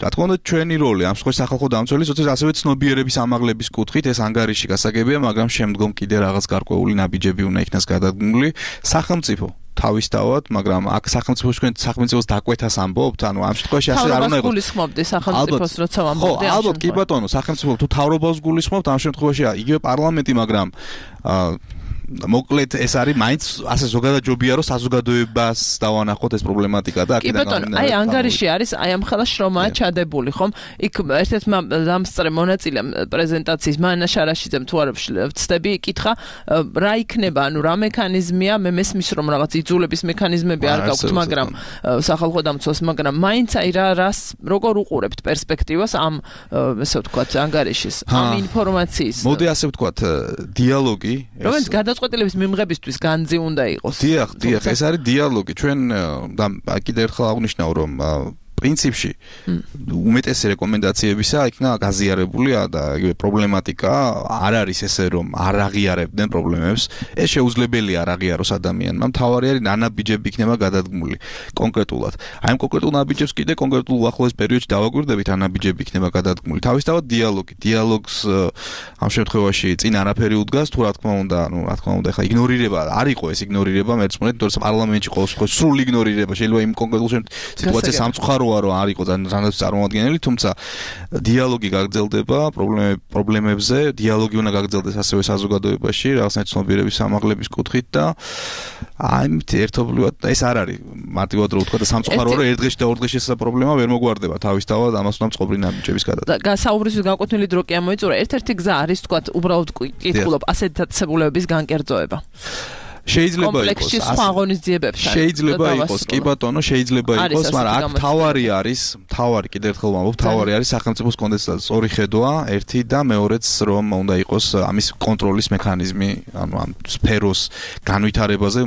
რა თქმა უნდა, ჩვენი როლი ამ სხვა სახალხო დამცველის, ასევე ცნობიერების ამაღლების კუთხით ეს ანგარიში გასაგებია, მაგრამ შემდგომ კიდე რაღაც გარკვეული ნაბიჯები უნდა იქნას გადადგმული. სახელმწიფო თავისთავად, მაგრამ აქ სახელმწიფოს თქვენ სახელმწიფოს დაკვეთას ამბობთ, ანუ ამ შემთხვევაში ასე არ უნდა იყოს. გულისხმობდი სახელმწიფოს, როცა ამბობდი. ხო, ალბათ, კი ბატონო, სახელმწიფო თუ თავრობას გულისხმობთ, ამ შემთხვევაში იგივე პარლამენტი, მაგრამ მოკლედ ეს არის მაინც ასე ზოგადად ჯობია რომ საზოგადოებას დავანახოთ ეს პრობლემატიკა და აქედან გამომდინარე. აი ანგარიში არის, აი ამ ხელა შრომაა ჩადებული, ხომ? იქ ერთ-ერთმა დამსწრე მონაწილემ პრეზენტაციის მანა შარაშიძემ თუ არ ვცდები, იკითხა რა იქნება, ანუ რა მექანიზმია, მე მესმის რომ რაღაც იძულების მექანიზმები არ გაქვთ, მაგრამ სახალხო დამცველს, მაგრამ მაინც აი რა რას როგორ უყურებთ პერსპექტივას ამ ესე ვთქვათ ანგარიშის, ამ ინფორმაციის. მოდი ასე ვთქვათ, დიალოგი რომელიც გადაწყვეტილების მიმღებისთვის განძი უნდა იყოს. დიახ, დიახ, ეს არის დიალოგი. ჩვენ და კიდევ ერთხელ აღნიშნავ, რომ პრინციპში უმეტესი რეკომენდაციებისა იქნა გაზიარებულია და იგივე პრობლემატიკა არ არის ესე რომ არ აღიარებდნენ პრობლემებს. ეს შეუძლებელია არ აღიაროს ადამიანმა. მთავარი არის ნაბიჯები იქნება გადადგმული კონკრეტულად. აი ამ კონკრეტულ ნაბიჯებს კიდე კონკრეტულ უახლოეს პერიოდში დავაკვირდებით, ან ნაბიჯები იქნება გადადგმული. თავისთავად დიალოგი. დიალოგს ამ შემთხვევაში წინ არაფერი უდგას, თუ რა თქმა უნდა, ну, რა თქმა უნდა, ხა იგნორირება არ იყო ეს იგნორირება, მეცმუნეთ, თორემ პარლამენტში ყოველ შემთხვევაში სრულ იგნორირება შეიძლება იმ კონკრეტულ სიტუაციას სამწუხარო რომ არ იყო ძალიან წარმოადგენელი, თუმცა დიალოგი გაგრძელდება პრობლემებზე, დიალოგი უნდა გაგრძელდეს ასევე საზოგადოებაში, რაღაცნაირ ცნობიერების ამაღლების კუთხით და ამით ერთობლივად ეს არ არის მარტივად რომ ვთქვა და სამწუხაროა რომ ერთ დღეში და ორ დღეში ეს პრობლემა ვერ მოგვარდება, თავისთავად ამას უნდა წყობრი ნაბიჯების გადადგმა. საუბრისთვის გაკვეთილი დრო კი ამოიწურა, ერთ-ერთი გზა არის თქვა უბრალოდ კითხულობ ასეთ დაწესებულებების განკერძოება. შეიძლება იყოს შეიძლება იყოს კი ბატონო შეიძლება იყოს მაგრამ აქ თავარი არის თავარი კიდევ ერთხელ ვამბობ თავარი არის სახელმწიფოს კონდენსატის ორი ხედვა ერთი და მეორეც რომ უნდა იყოს ამის კონტროლის მექანიზმი ანუ ამ სფეროს განვითარებაზე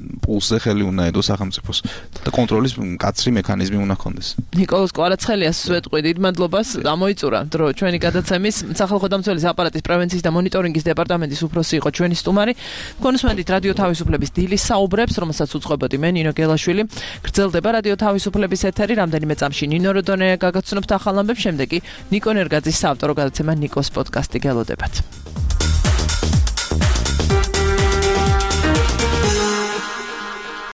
პულსზე ხელი უნდა ედოს სახელმწიფოს და კონტროლის მკაცრი მექანიზმი უნდა ჰქონდეს. ნიკოლოზ კვარაცხელიას ვეტყვი დიდ მადლობას ამოიწურა დრო ჩვენი გადაცემის სახალხო დამცველის აპარატის პრევენციის და მონიტორინგის დეპარტამენტის უფროსი იყო ჩვენი სტუმარი. კონსუმენტით რადიო თავისუფლების დილის საუბრებს, რომელსაც უწყობოდი მე ნინო გელაშვილი. გრძელდება რადიო თავისუფლების ეთერი, რამდენიმე წამში ნინო როდონია გაგაცნობთ ახალ ამბებს, შემდეგ კი ნიკო ნერგაძის საავტორო გადაცემა ნიკოს პოდკასტი გელოდებათ.